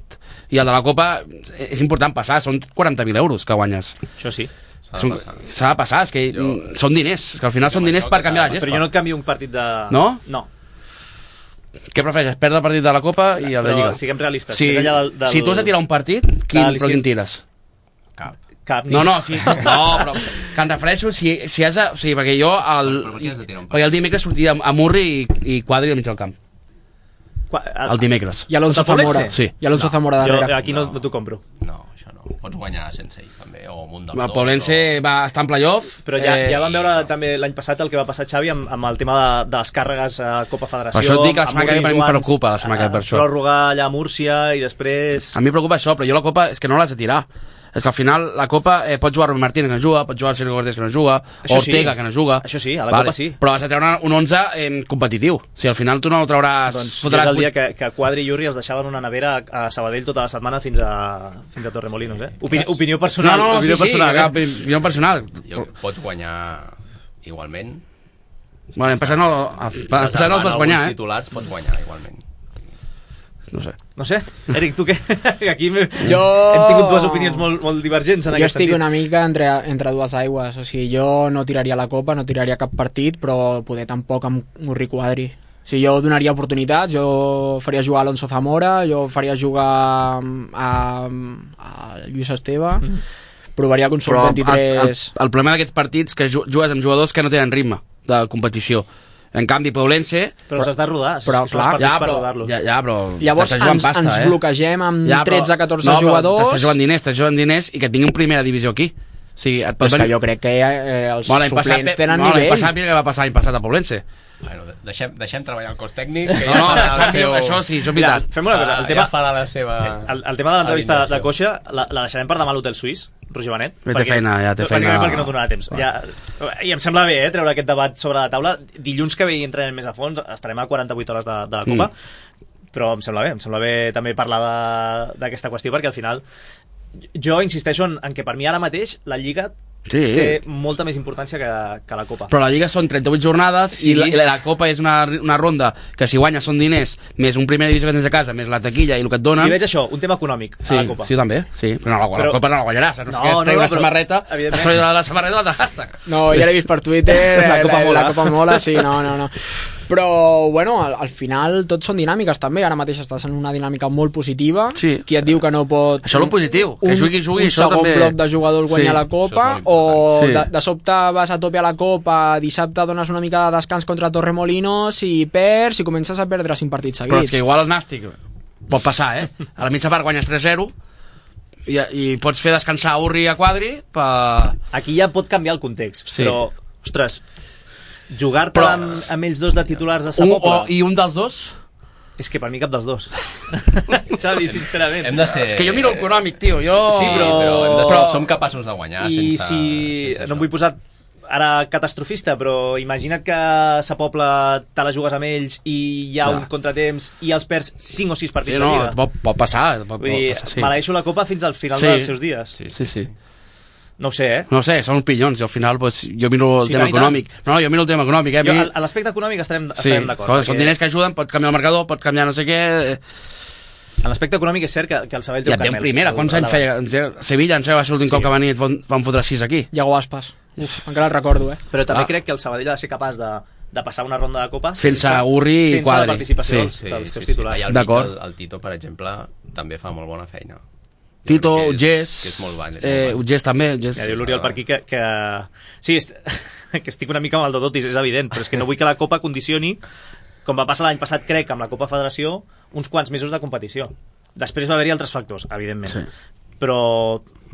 I el de la Copa és important passar, són 40.000 euros que guanyes. Això sí. S'ha de passar, és que són diners, que al final són diners per canviar la gespa. Però jo no et canvio un partit de... No? No. Què prefereixes, perdre el partit de la Copa i el de Lliga? Però siguem realistes. Si tu has de tirar un partit, quin tires? Cap. No, però que em refereixo si has de... O sigui, perquè jo perquè el dimecres sortia a Murri i Quadri al mig del camp. El dimecres. I Alonso Zamora. Sí. I Alonso Zamora darrere. Jo aquí no t'ho compro. No, això no. Pots guanyar sense ells també, o amb un dels dos. El Poblense va estar en playoff. Però ja vam veure també l'any passat el que va passar Xavi amb el tema de les càrregues a Copa Federació. Per això et dic que la setmana que ve em preocupa, la setmana que ve per això. Pròrroga allà a Múrcia i després... A mi em preocupa això, però jo la Copa és que no l'has de tirar. És que al final la Copa pot jugar Rubén Martínez que no juga, pot jugar Sergio Cortés que no juga, Ortega que no juga. Això sí, a la Copa sí. Però has de treure un 11 competitiu. Si al final tu no el trauràs... Doncs és el dia que Quadri i Jurri els deixaven una nevera a Sabadell tota la setmana fins a Torremolinos, Opinió personal. Opinió personal. Pots guanyar igualment. Bueno, en passat no els vas guanyar, Els titulars pots guanyar igualment. No sé. Eric, tu què? Aquí hem tingut dues opinions molt divergents en aquest sentit. Jo estic una mica entre dues aigües. O sigui, jo no tiraria la Copa, no tiraria cap partit, però poder tampoc amb Murri Quadri. Si jo donaria oportunitats, jo faria jugar a Alonso Zamora, jo faria jugar a Lluís Esteve, provaria con sub-23... El problema d'aquests partits que jugues amb jugadors que no tenen ritme de competició. En canvi, Poblense... Però els has de rodar, però, són els partits per rodar-los. Però llavors ens bloquegem amb 13-14 jugadors... T'estàs jugant diners i que et vingui un primera divisió aquí. O sigui, és que jo crec que els suplents tenen nivell. L'any passat, mira què va passar l'any passat a Poblense. Bueno, deixem treballar el cos tècnic. Això sí, això és veritat. Fem una cosa, el tema de l'entrevista de Coixa la deixarem per demà a l'Hotel Suís, Roger Benet. Té feina. Bàsicament perquè no donarà temps. I em sembla bé treure aquest debat sobre la taula. Dilluns que ve hi entrenem més a fons, estarem a 48 hores de la Copa, però em sembla bé també parlar d'aquesta qüestió, perquè al final jo insisteixo en que per mi ara mateix la Lliga té molta més importància que la Copa. Però la Lliga són 38 jornades i la Copa és una ronda que si guanyes són diners, més un primera divisió que tens a casa, més la taquilla i el que et donen. I veig això, un tema econòmic a la Copa. Sí, també, sí. Però la Copa no la guanyaràs, no sé què, es treu una samarreta, es treu de la samarreta de hashtag. No, ja l'he vist per Twitter, la Copa mola, sí, no. Però, bueno, al final tot són dinàmiques també, ara mateix estàs en una dinàmica molt positiva, qui et diu que no pot... Això és el positiu, que jugui, un segon bloc de jugadors guanyar la Copa, o de sobte vas a tope a la Copa, dissabte dones una mica de descans contra Torremolinos i perds i comences a perdre 5 partits seguits. Però és que igual el Nàstic pot passar, a la mitja part guanyes 3-0 i pots fer descansar a Urri i a Quadri Aquí ja pot canviar el context, però, ostres, jugar-te amb ells dos de titulars a sa Pobla i un dels dos? És que per mi cap dels dos. Xavi, sincerament. És que jo miro el econòmic, tio. Sí, però som capaços de guanyar. I si no em vull posar ara catastrofista, però imagina't que sa Pobla te la jugues amb ells i hi ha un contratemps i els perds 5 o 6 partits de Lliga. Pot passar. Vull dir, maleeixo la Copa fins al final dels seus dies. Sí. No ho sé, No sé, són pillons i al final jo miro el tema econòmic. No, jo miro el tema econòmic. A l'aspecte econòmic estarem d'acord. Són diners que ajuden, pot canviar el marcador, pot canviar no sé què... En l'aspecte econòmic és cert que el Sabadell té un carmel. I et primera, quants anys feia? Sevilla, em sembla va ser l'últim cop que van fotre 6 aquí. Iago Aspas. Encara el recordo, Però també crec que el Sabadell ha de ser capaç de passar una ronda de Copa sense Urri i Quadri. Sense la participació dels seus titulars. I el Tito, per exemple, també fa molt bona feina. Tito, Ugés, Ugés també. Ja diu l'Oriol per aquí que sí, que estic una mica amb el Dodotis, és evident, però és que no vull que la Copa condicioni, com va passar l'any passat, crec, amb la Copa Federació, uns quants mesos de competició. Després va haver-hi altres factors, evidentment. Però,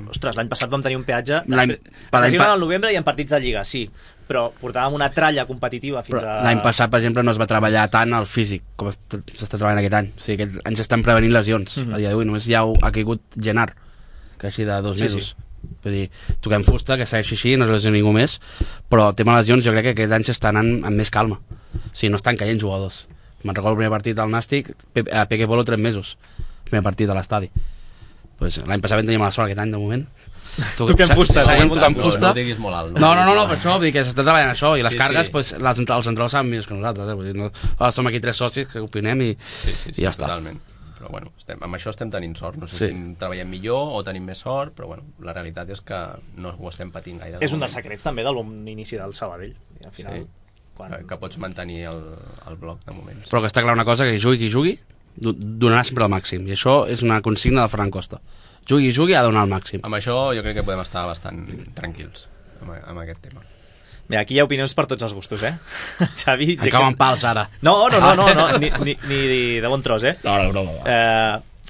ostres, l'any passat vam tenir un peatge... Especialment al novembre i en partits de Lliga, sí, però portàvem una tralla competitiva fins a... L'any passat, per exemple, no es va treballar tant el físic com s'està treballant aquest any. O sigui, aquest any s'estan prevenint lesions. A dia d'avui només ja ha caigut Genar, que així de 2 mesos. Vull dir, toquem fusta, que segueixi així, no es lesiona ningú més, però el tema de lesions jo crec que aquest any s'està anant amb més calma. O sigui, no estan caient jugadors. Me'n recordo el primer partit al Nàstic, a Peque Polo 3 mesos, el primer partit a l'estadi. Pues l'any passat vam tenir mala sort aquest any, de moment. Toquem fusta. No diguis molt alt. No, per això, vull dir que s'està treballant això, i les cargues, els centrals saben més que nosaltres, vull dir, som aquí 3 socis que opinem i ja està. Totalment. Però bueno, amb això estem tenint sort. No sé si treballem millor o tenim més sort, però bueno, la realitat és que no ho estem patint gaire. És un dels secrets també de l'inici del Sabadell. Al final, que pots mantenir el bloc de moment. Però que està clar una cosa, que qui jugui donarà sempre el màxim, i això és una consigna de Ferran Costa. Jugui, ha de donar el màxim. Amb això jo crec que podem estar bastant tranquils amb aquest tema. Mira, aquí hi ha opinions per tots els gustos, Xavi... Acaben pals, ara. No, ni de bon tros, No, broma.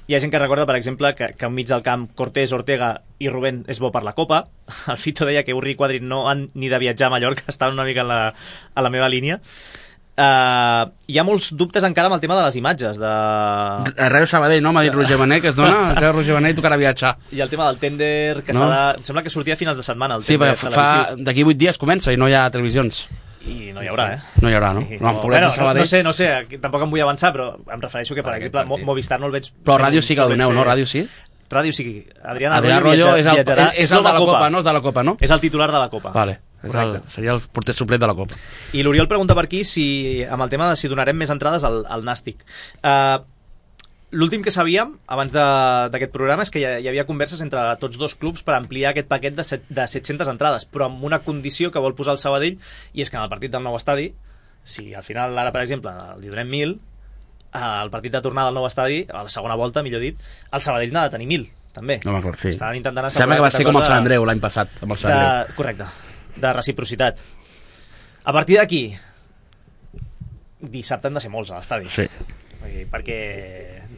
Hi ha gent que recorda, per exemple, que enmig del camp Cortés, Ortega i Rubén és bo per la Copa. El Fito deia que Urri i Quadri no han ni de viatjar a Mallorca, estan una mica a la meva línia. Hi ha molts dubtes encara amb el tema de les imatges Ràdio Sabadell, no? M'ha dit Roger Benet que es dona, Roger Benet tocarà viatjar. I el tema del tènder que em sembla que sortia a finals de setmana sí, d'aquí 8 dies comença i no hi ha televisions i no hi haurà, No hi haurà, no? No sé, tampoc em vull avançar, però em refereixo que, per exemple, Movistar no el veig... Però ràdio sí que el doneu, no? Ràdio sí? Ràdio sí. Adrià Arroyo és el de la Copa, no? És de la Copa, no? És el titular de la Copa. Vale. Seria el porter suplet de la Copa. I l'Oriol pregunta per aquí amb el tema de si donarem més entrades al Nàstic. L'últim que sabíem abans d'aquest programa és que hi havia converses entre tots dos clubs per ampliar aquest paquet de 700 entrades, però amb una condició que vol posar el Sabadell, i és que en el partit del nou estadi Si al final, ara, per exemple, els hi donem 1.000, al partit de tornada al nou estadi, a la segona volta, millor dit, el Sabadell n'ha de tenir 1.000, també. No m'acord, sí. Estaven intentant sembla que va ser com el Sant Andreu l'any passat, amb el Sant Andreu. Correcte, de reciprocitat. A partir d'aquí, dissabte han de ser molts a l'estadi. Sí. Perquè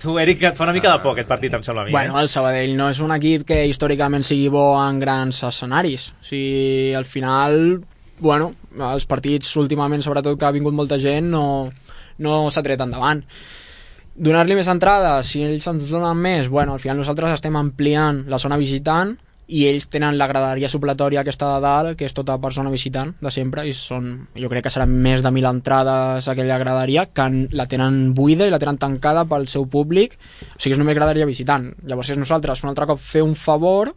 tu, Eric, et fa una mica de por aquest partit, em sembla a mi. Bueno, el Sabadell no és un equip que històricament sigui bo en grans escenaris. O sigui, al final, bueno, els partits últimament, sobretot que ha vingut molta gent, no s'ha tret endavant. Donar-li més entrades, si ells ens donen més, bueno, al final nosaltres estem ampliant la zona visitant i ells tenen la graderia supletòria aquesta de dalt, que és tota per zona visitant de sempre, i jo crec que seran més de 1.000 entrades a aquella graderia, que la tenen buida i la tenen tancada pel seu públic, o sigui, és només graderia visitant. Llavors és nosaltres un altre cop fer un favor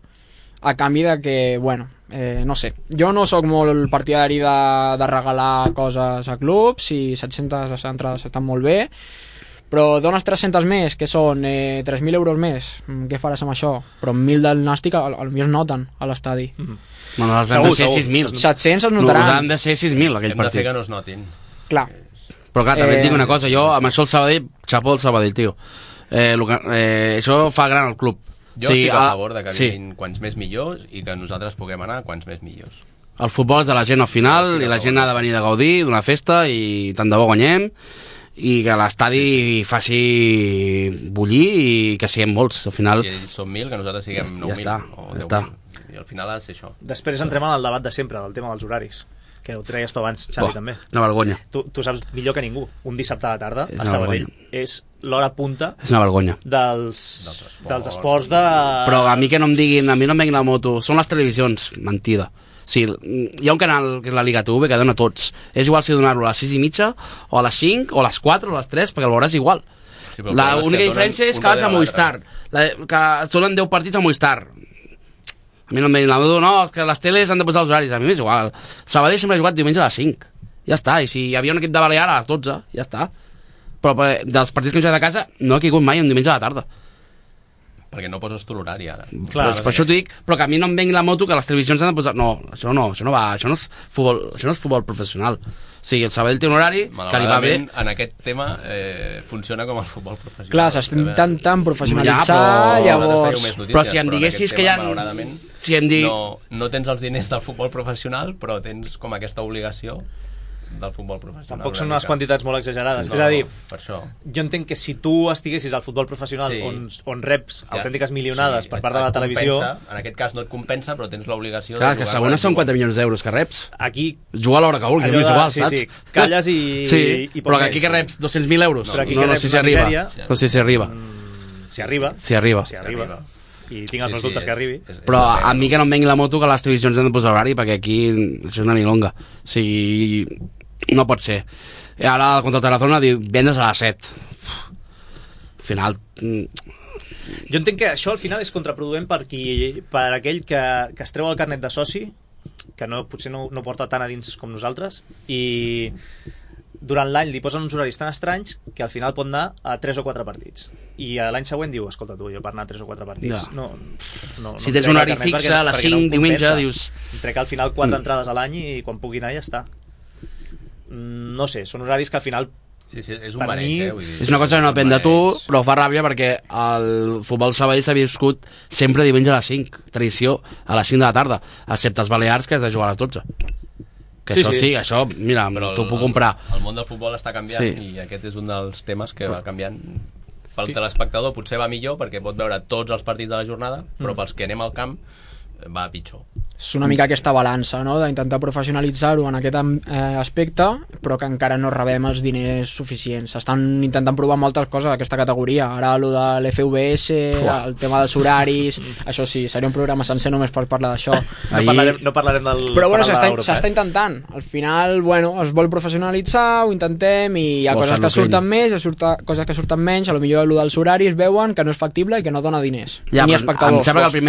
a canvi de que, bueno, no sé, jo no sóc molt partidari de regalar coses a clubs, i 700 entrades estan molt bé, però dones 300 més, que són 3.000 euros més, què faràs amb això? Però 1.000 del Nàstic potser es noten a l'estadi. Bueno, els han de ser 6.000. 700 es notaran. Han de ser 6.000 aquell partit. Hem de fer que no es notin. Clar. Però clar, també et dic una cosa, jo amb això el Sabadell, xapó el Sabadell, tio. Això fa gran el club. Jo estic a favor de que vinguin quants més millors i que nosaltres puguem anar quants més millors. El futbol és de la gent al final i la gent ha de venir de gaudir d'una festa i tant de bo guanyem i que l'estadi faci bullir i que siguem molts. Al final... Si ells són 1.000, que nosaltres siguem 9.000 o 10.000. I al final ha de ser això. Després entrem en el debat de sempre, del tema dels horaris, que ho treies tu abans, Xavi, també. Una vergonya. Tu saps millor que ningú. Un dissabte a la tarda, a Sabadell, és l'hora punta és una vergonya. dels esports de... Però a mi que no em diguin, a mi no em venguin la moto, són les televisions, mentida. Sí, hi ha un canal que és la Liga TV que dona tots. És igual si donar-lo a les 6:30 o a les 5 o a les 4 o a les 3, perquè el veuràs igual. Sí, l'única diferència és que vas a Movistar, que es donen 10 partits a Movistar. A mi no em venguin la moto, no, que les teles han de posar els horaris, a mi m'és igual. Sabadell sempre ha jugat diumenge a les 5, ja està, i si hi havia un equip de Balear a les 12, ja està. Però dels partits que hem jugat a casa no he caigut mai un diumenge a la tarda. Perquè no poses tu l'horari ara. Clar, per això t'ho dic, però que a mi no em vengui la moto que les televisions han de posar... No, això no va, això no és futbol professional. O sigui, el Sabadell té un horari que li va bé. En aquest tema funciona com el futbol professional. Clar, s'estem intentant professionalitzar, llavors... Però si em diguessis que hi ha... Si em no tens els diners del futbol professional, però tens com aquesta obligació del futbol professional. Tampoc són unes quantitats molt exagerades. És a dir, jo entenc que si tu estiguessis al futbol professional on reps autèntiques milionades per part de la televisió... En aquest cas no et compensa, però tens l'obligació... Clar, que segons són 4 milions d'euros que reps. Aquí... Juga a l'hora que vulguis, saps? Sí, calles i... Sí, però que aquí que reps 200.000 euros. No sé si arriba. No sé si arriba. Si arriba. Si arriba. I tinc els dubtes que arribi. Però a mi que no em vengui la moto que les televisions han de posar horari, perquè aquí això és una milonga. O sigui, no pot ser. I ara contra el Tarazona diu vendes a les 7. Al final... Jo entenc que això al final és contraproduent per aquell que es treu el carnet de soci, que potser no porta tant a dins com nosaltres, i durant l'any li posen uns horaris tan estranys que al final pot anar a 3 o 4 partits. I l'any següent diu, escolta tu, jo per anar a 3 o 4 partits no si tens un horari fixe a les 5 diumenge dius... Trec al final 4 entrades a l'any i quan pugui anar ja està. No sé, són horaris que al final és un mareig, és una cosa que no depèn de tu, però fa ràbia perquè el futbol Sabadell s'ha viscut sempre diumenge a les 5, tradició a les 5 de la tarda, excepte els Balears que has de jugar a les 12. Que això, mira, t'ho puc comprar. El món del futbol està canviant i aquest és un dels temes que va canviant. Pel telespectador potser va millor perquè pot veure tots els partits de la jornada, però pels que anem al camp va pitjor. És una mica aquesta balança, no?, d'intentar professionalitzar-ho en aquest aspecte, però que encara no rebem els diners suficients. S'estan intentant provar moltes coses d'aquesta categoria. Ara allò de l'FVS, el tema dels horaris, això sí, seria un programa sencer només per parlar d'això. No parlarem del... Però bueno, s'està intentant. Al final, bueno, es vol professionalitzar, ho intentem, i hi ha coses que surten més, hi ha coses que surten menys, a lo millor allò dels horaris veuen que no és factible i que no dona diners. Ni espectadors. Em sembla que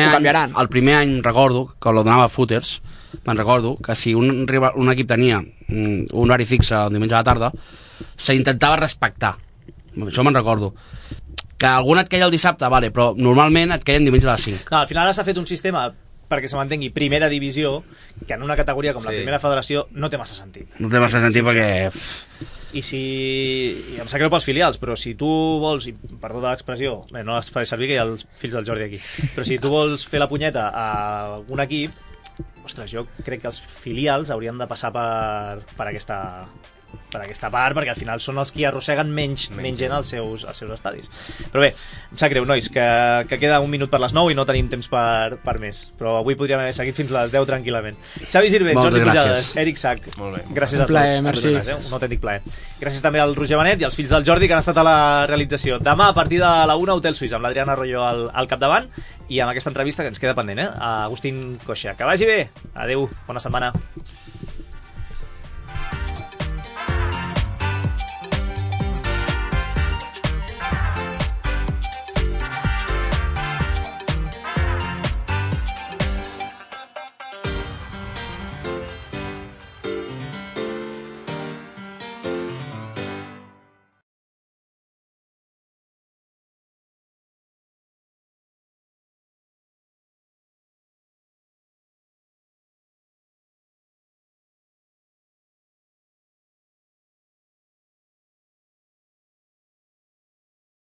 el primer any recordo que lo donava Footers, me'n recordo que si un equip tenia un horari fixe el diumenge a la tarda s'intentava respectar, això me'n recordo, que algun et queia el dissabte, vale, però normalment et queien diumenge a les 5. No, al final s'ha fet un sistema perquè se m'entengui, primera divisió, que en una categoria com la primera federació no té massa sentit. No té massa sentit perquè... I si... em sap greu pels filials, però si tu vols, i perdó de l'expressió, no les faré servir, que hi ha els fills del Jordi aquí, però si tu vols fer la punyeta a un equip, ostres, jo crec que els filials haurien de passar per aquesta part, perquè al final són els qui arrosseguen menys gent als seus estadis. Però bé, em sap greu, nois, que queda 1 minut per les 9 i no tenim temps per més, però avui podríem haver seguit fins a les 10 tranquil·lament. Xavi Sirvent, Jordi Pujades, Eric Sac, gràcies a tots. Merci. Un autèntic plaer. Gràcies també al Roger Benet i als fills del Jordi que han estat a la realització. Demà, a partir de la 1, Hotel Suís, amb l'Adriana Arroyo al capdavant, i amb aquesta entrevista que ens queda pendent, a Agustín Coixa. Que vagi bé. Adéu, bona setmana.